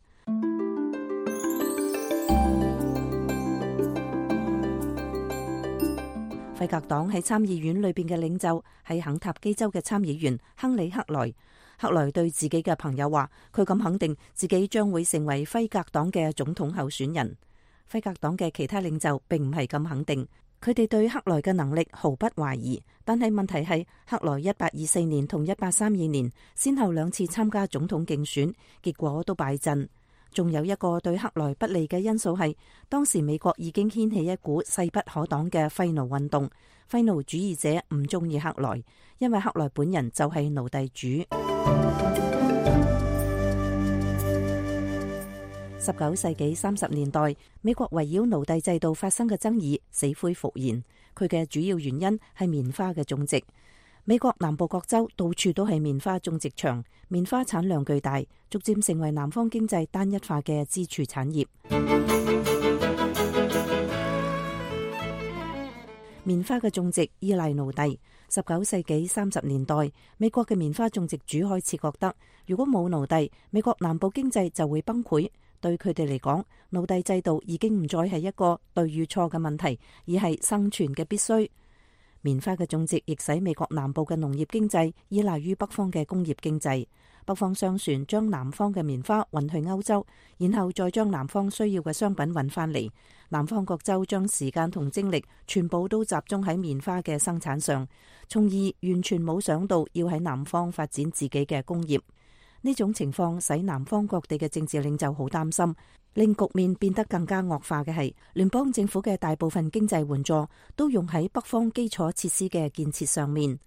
輝格黨喺參議院裏邊嘅領袖係肯塔基州嘅參議員亨利克萊。克萊對自己嘅朋友話，佢咁肯定自己將會成為輝格黨嘅總統候選人。輝格黨嘅其他領袖並唔係咁肯定，佢哋對克萊嘅能力毫不懷疑。但係問題係，克萊1824年同1832年先後2次參加總統競選，結果都敗陣。仲有一個對克萊不利嘅因素係，當時美國已經掀起一股勢不可擋嘅廢奴運動。廢奴主義者唔中意克萊，因為克萊本人就係奴隸主。19世紀30年代，美國圍繞奴隸制度發生嘅爭議死灰復燃，佢嘅主要原因係棉花嘅種植。美國南部各州到處都係棉花種植場，棉花產量巨大，逐漸成為南方經濟單一化嘅支柱產業。棉花嘅種植依賴奴隸。19世紀30年代，美國嘅棉花種植主開始覺得，如果冇奴隸，美國南部經濟就會崩潰。對佢哋嚟講，奴隸制度已經唔再係一個對與錯嘅問題，而係生存嘅必須。棉花嘅種植亦使美國南部嘅農業經濟依賴於北方嘅工業經濟。北方商船將南方嘅棉花運去歐洲，然後再將南方需要嘅商品運翻嚟。南方各州將時間同精力全部都集中喺棉花嘅生產上，從而完全冇想到要喺南方發展自己嘅工業。呢種情況使南方各地嘅政治領袖好擔心，令局面變得更加惡化嘅係，聯邦政府嘅大部分經濟援助都用喺北方基礎設施嘅建設上面。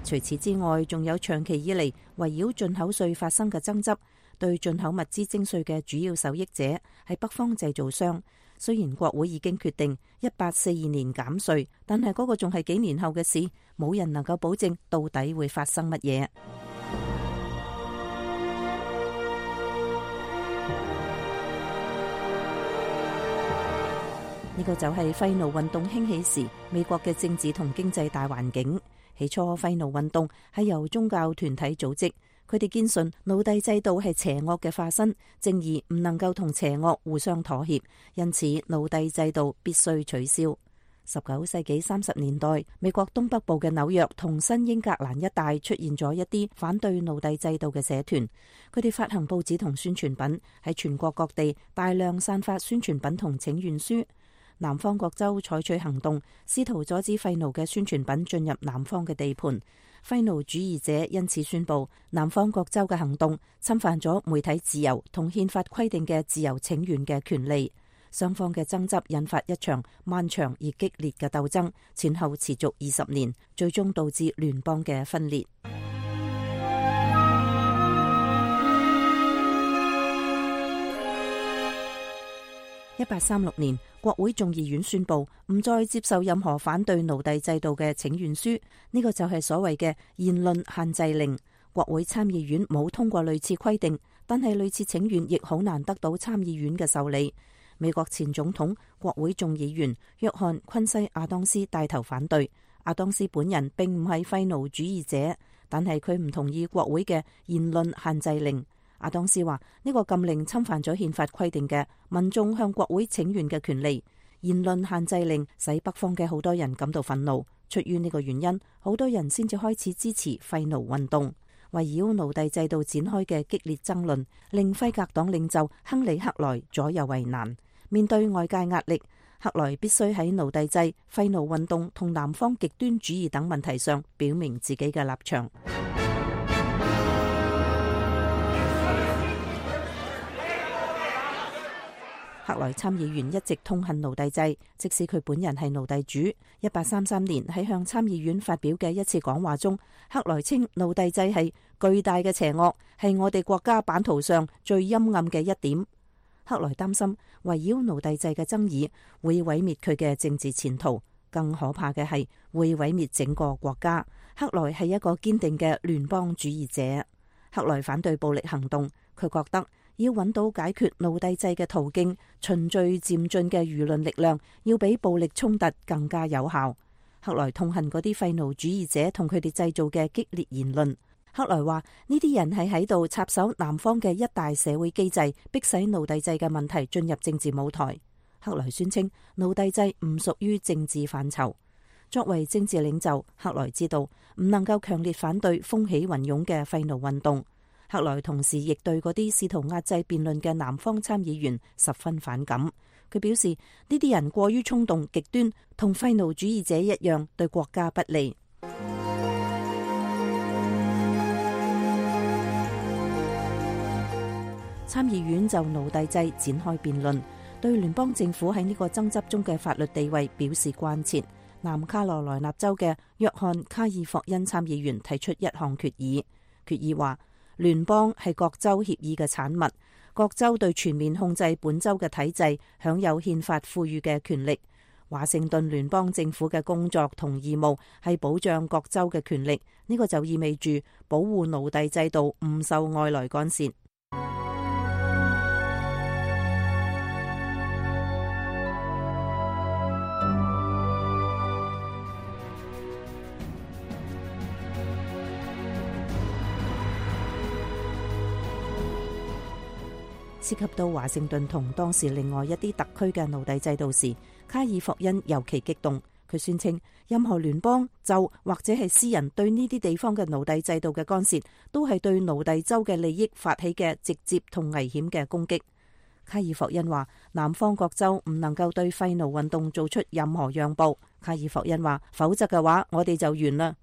除此之外，仲有長期以嚟圍繞進口稅發生嘅爭執。對進口物資徵稅嘅主要受益者係北方製造商。雖然國會已經決定1842年減稅，但係嗰個仲係幾年後嘅事，冇人能夠保證到底會發生乜嘢。呢個就係廢奴運動興起時美國嘅政治同經濟大環境。起初，廢奴運動係由宗教團體組織。佢哋堅信奴隸制度係邪惡嘅化身，正義唔能夠同邪惡互相妥協，因此奴隸制度必須取消。19世紀30年代，美國東北部嘅紐約同新英格蘭一帶出現咗一啲反對奴隸制度嘅社團，佢哋發行報紙同宣傳品，喺全國各地大量散發宣傳品同請願書。南方各州採取行動，試圖阻止廢奴嘅宣傳品進入南方嘅地盤。廢奴主義者因此宣布，南方各州嘅行動侵犯咗媒體自由同憲法規定嘅自由請願嘅權利。雙方嘅爭執引發一場漫長而激烈嘅鬥爭，前後持續20年，最終導致聯邦嘅分裂。1836年，國會眾議院宣布唔再接受任何反對奴隸制度嘅請願書，呢個就係所謂嘅言論限制令。國會參議院冇通過類似規定，但係類似請願亦好難得到參議院嘅受理。美國前總統、國會眾議員約翰·昆西亞當斯帶頭反對。亞當斯本人並唔係廢奴主義者，但係佢唔同意國會嘅言論限制令。亞當斯話呢個禁令侵犯咗憲法規定嘅民眾向國會請願嘅權利。言論限制令使北方嘅好多人感到憤怒，出於呢個原因，好多人先至開始支持廢奴運動。圍繞奴隸制度展開嘅激烈爭論，令輝格黨領袖亨利·克萊左右為難。面對外界壓力，克萊必須喺奴隸制、廢奴運動同南方極端主義等問題上表明自己嘅立場。克萊參議員一直痛恨奴隸制，即使佢本人係奴隸主。1833年喺向參議院發表嘅一次講話中，克萊稱奴隸制係巨大嘅邪惡，係我哋國家版圖上最陰暗嘅一點。克萊擔心圍繞奴隸制嘅爭議會毀滅佢嘅政治前途，更可怕嘅係會毀滅整個國家。克萊係一個堅定嘅聯邦主義者。克萊反對暴力行動，佢覺得要揾到解決奴隸制嘅途徑，循序漸進嘅輿論力量要比暴力衝突更加有效。克萊痛恨嗰啲廢奴主義者同佢哋製造嘅激烈言論。克萊話呢啲人係喺度插手南方嘅一大社會機制，迫使奴隸制嘅問題進入政治舞台。克萊宣稱奴隸制唔屬於政治範疇。作為政治領袖，克萊知道唔能夠強烈反對風起雲湧嘅廢奴運動。克萊同時亦對嗰啲試圖壓制辯論嘅南方參議員十分反感。佢表示呢啲人過於衝動極端，同廢奴主義者一樣，對國家不利。參議院就奴隸制展開辯論，對聯邦政府喺呢個爭執中嘅法律地位表示關切。南卡羅來納州嘅約翰卡爾霍恩參議員提出一項決議，決議話聯邦係各州協議嘅產物，各州對全面控制本州嘅體制享有憲法賦予嘅權力。華盛頓聯邦政府嘅工作同義務係保障各州嘅權力，呢個就意味住保護奴隸制度唔受外來干涉。涉及到華盛頓同當時另外一啲特區嘅奴隸制度時，卡爾霍恩尤其激動。佢宣稱任何聯邦、州或者係私人對呢啲地方嘅奴隸制度嘅干涉，都係對奴隸州嘅利益發起嘅直接同危險嘅攻擊。卡爾霍恩話南方各州唔能夠對廢奴運動做出任何讓步。卡爾霍恩話否則嘅話我哋就完啦。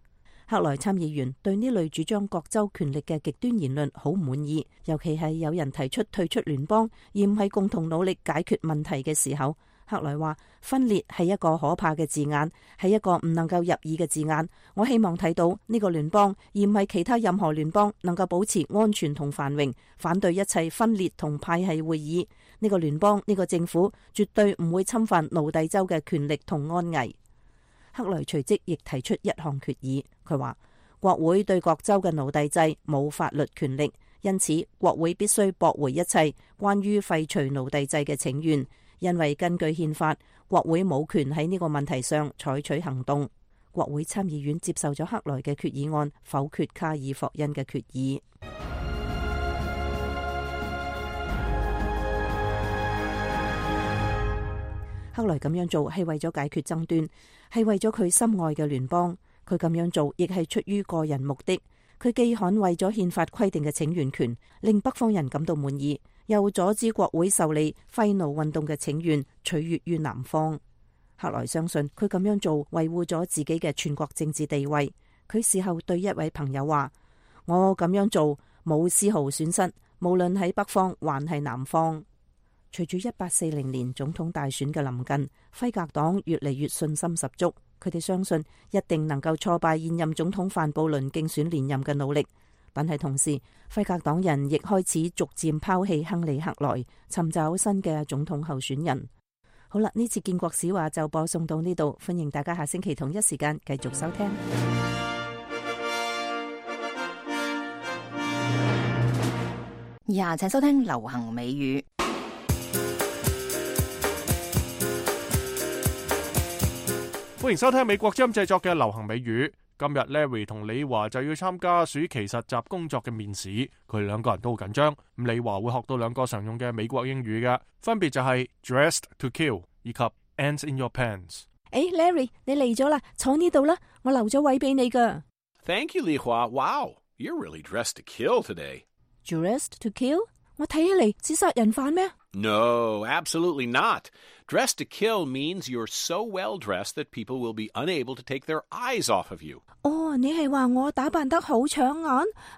克萊參議員對呢類主張各州權力嘅極端言論好唔滿意，尤其係有人提出退出聯邦而唔係共同努力解決問題嘅時候。克萊話分裂係一個可怕嘅字眼，係一個唔能夠入耳嘅字眼。我希望睇到呢個聯邦而唔係其他任何聯邦能夠保持安全同繁榮，反對一切分裂同派系會議。呢個聯邦，呢個政府絕對唔會侵犯奴隸州嘅權力同安危。克萊隨即亦提出一項決議，佢話國會對各州嘅奴隸制冇法律權力，因此國會必須駁回一切關於廢除奴隸制嘅請願，因為根據憲法，國會冇權喺呢個問題上採取行動。國會參議院接受咗克萊嘅決議案，否決卡爾霍恩嘅決議。克萊咁樣做係為咗解決爭端，係為咗佢心愛嘅聯邦。佢咁樣做亦係出於個人目的。佢既捍衛咗憲法規定嘅請願權，令北方人感到滿意，又阻止國會受理廢奴運動嘅請願，取悅於南方。克萊相信佢咁樣做維護咗自己嘅全國政治地位。佢事後對一位朋友話：我咁樣做冇絲毫損失，無論喺北方還係南方。隨住1840年總統大選嘅臨近，輝格黨越嚟越信心十足，佢哋相信一定能夠挫敗現任總統范布倫競選連任嘅努力。但係同時，輝格黨人亦開始逐漸拋棄亨利·克萊，尋找新嘅總統候選人。好啦，呢次建國史話就播送到呢度，歡迎大家下星期同一時間繼續收聽。以下請收聽流行美語。歡迎收聽美國之音製作嘅流行美語。今日 Larry 同李華就要參加暑期實習工作嘅面試，佢哋兩個人都好緊張。咁李華會學到兩個常用嘅美國英語嘅，分別就係 dressed to kill 以及 ants in your pants。Larry 你嚟咗啦，坐呢度啦，我留咗位俾你噶。Thank you, 李華。Wow, you're really dressed to kill today. Dressed to kill? 我睇起嚟似殺人犯咩？ No, absolutely not. Dressed to kill means you're so well dressed that people will be unable to take their eyes off of you. 哦，你係話我打扮得好搶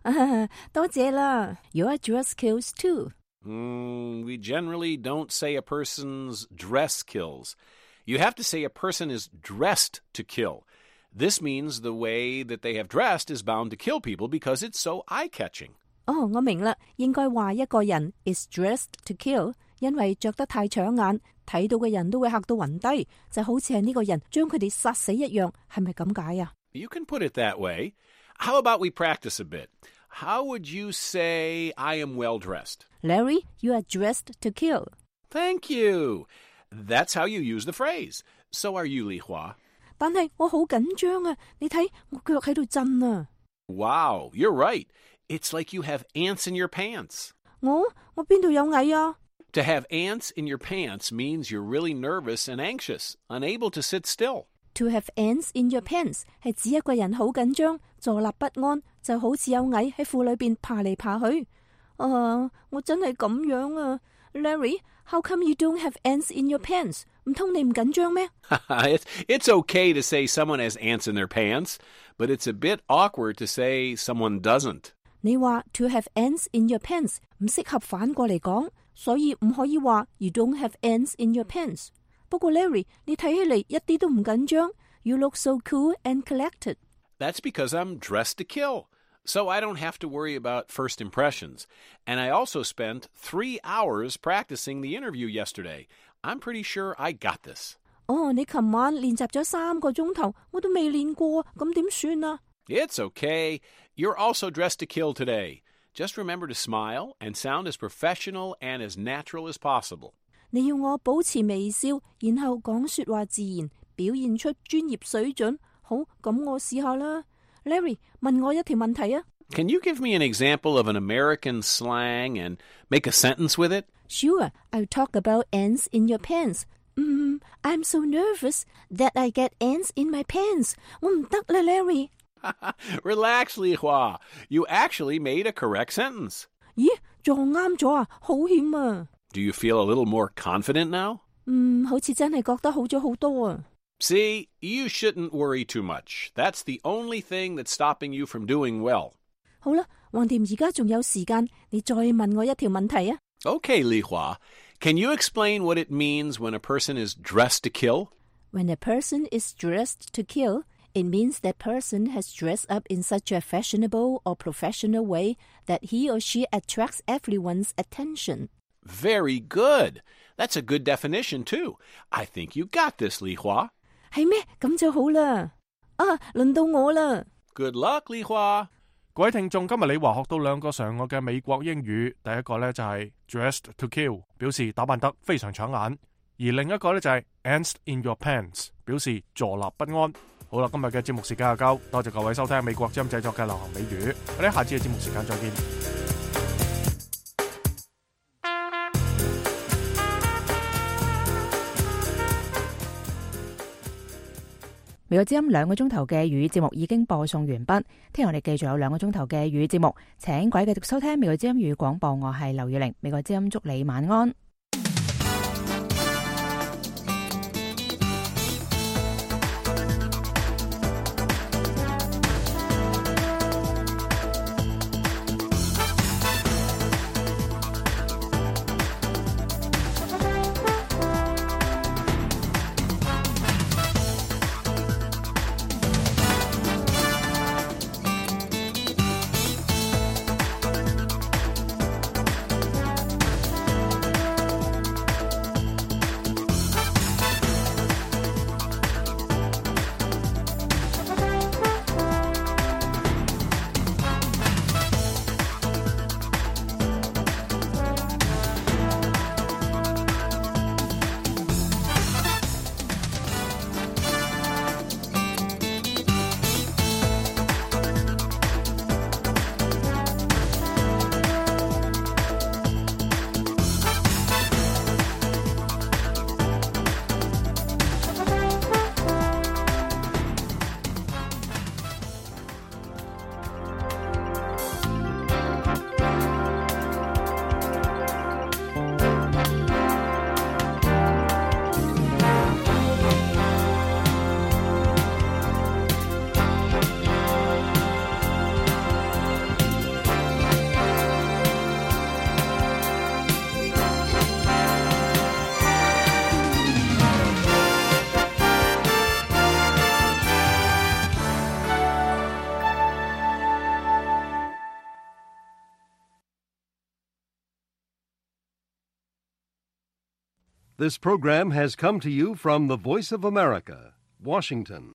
眼？多謝啦。Your dress kills too. We generally don't say a person's dress kills. You have to say a person is dressed to kill. This means the way that they have dressed is bound to kill people because it's so eye-catching. 哦，我明啦，應該話一個人 is dressed to kill， 因為着得太搶眼，睇到嘅人都會嚇到暈低，就好似係呢個人將佢哋殺死一樣，係咪咁解啊？ You can put it that way. How about we practice a bit? How would you say I am well dressed? Larry, you are dressed to kill. Thank you. That's how you use the phrase. So are you, Li Hua. 但係我好緊張啊！你睇我腳喺度震啊！ Wow, you're right. It's like you have ants in your pants. 我邊度有蟻啊？ To have ants in your pants means you're really nervous and anxious, unable to sit still. To have ants in your pants 係指一個人好緊張，坐立不安，就好似有蟻喺褲裏邊爬嚟爬去。我真係咁樣啊 ，Larry, how come you don't have ants in your pants? 唔通你唔緊張咩？ It's okay to say someone has ants in their pants, but it's a bit awkward to say someone doesn't. 你話 to have ants in your pants 唔適合反過嚟講，所以唔可以話 you don't have ants in your pants。不過 Larry， 你睇起嚟一啲都唔緊張。You look so cool and collected. That's because I'm dressed to kill, so I don't have to worry about first impressions. And I also spent 3 hours practicing the interview yesterday. I'm pretty sure I got this. 哦，你琴晚練習咗3個鐘頭，我都未練過，咁點算啊？ It's okay. You're also dressed to kill today. Just remember to smile and sound as professional and as natural as possible. 你要我保持微笑，然後講說話自然，表現出專業水準。好，咁我試下啦。Larry， 問我一條問題啊。Can you give me an example of an American slang and make a sentence with it? Sure, I'll talk about ants in your pants. I'm so nervous that I get ants in my pants. 我唔得啦 ，Larry。Relax, Li Hua. You actually made a correct sentence. 咦，撞啱咗啊，好險啊！ Do you feel a little more confident now? 好似真係覺得好咗好多啊。See, you shouldn't worry too much. That's the only thing that's stopping you from doing well. 好啦，橫掂而家仲有時間，你再問我一條問題啊。Okay, Li Hua. Can you explain what it means when a person is dressed to kill? When a person is dressed to kill, it means that person has dressed up in such a fashionable or professional way that he or she attracts everyone's attention. Very good. That's a good definition, too. I think you got this, Li Hua. 係咩？咁就好啦。輪到我啦。Good luck, Li Hua. 各位聽眾，今日李華學到2個常用嘅美國英語。第一個呢就係 dressed to kill， 表示打扮得非常搶眼；而另一個呢就係 ants in your pants， 表示坐立不安。好啦，今日嘅節目時間就夠，多謝各位收聽美國之音製作嘅流行美語。我哋下次嘅節目時間再見。美國之音2個鐘頭嘅粵語節目已經播送完畢，聽日我哋繼續有2個鐘頭嘅粵語節目，請各位繼續收聽美國之音粵語廣播，我係劉月玲，美國之音祝你晚安。This program has come to you from the Voice of America, Washington.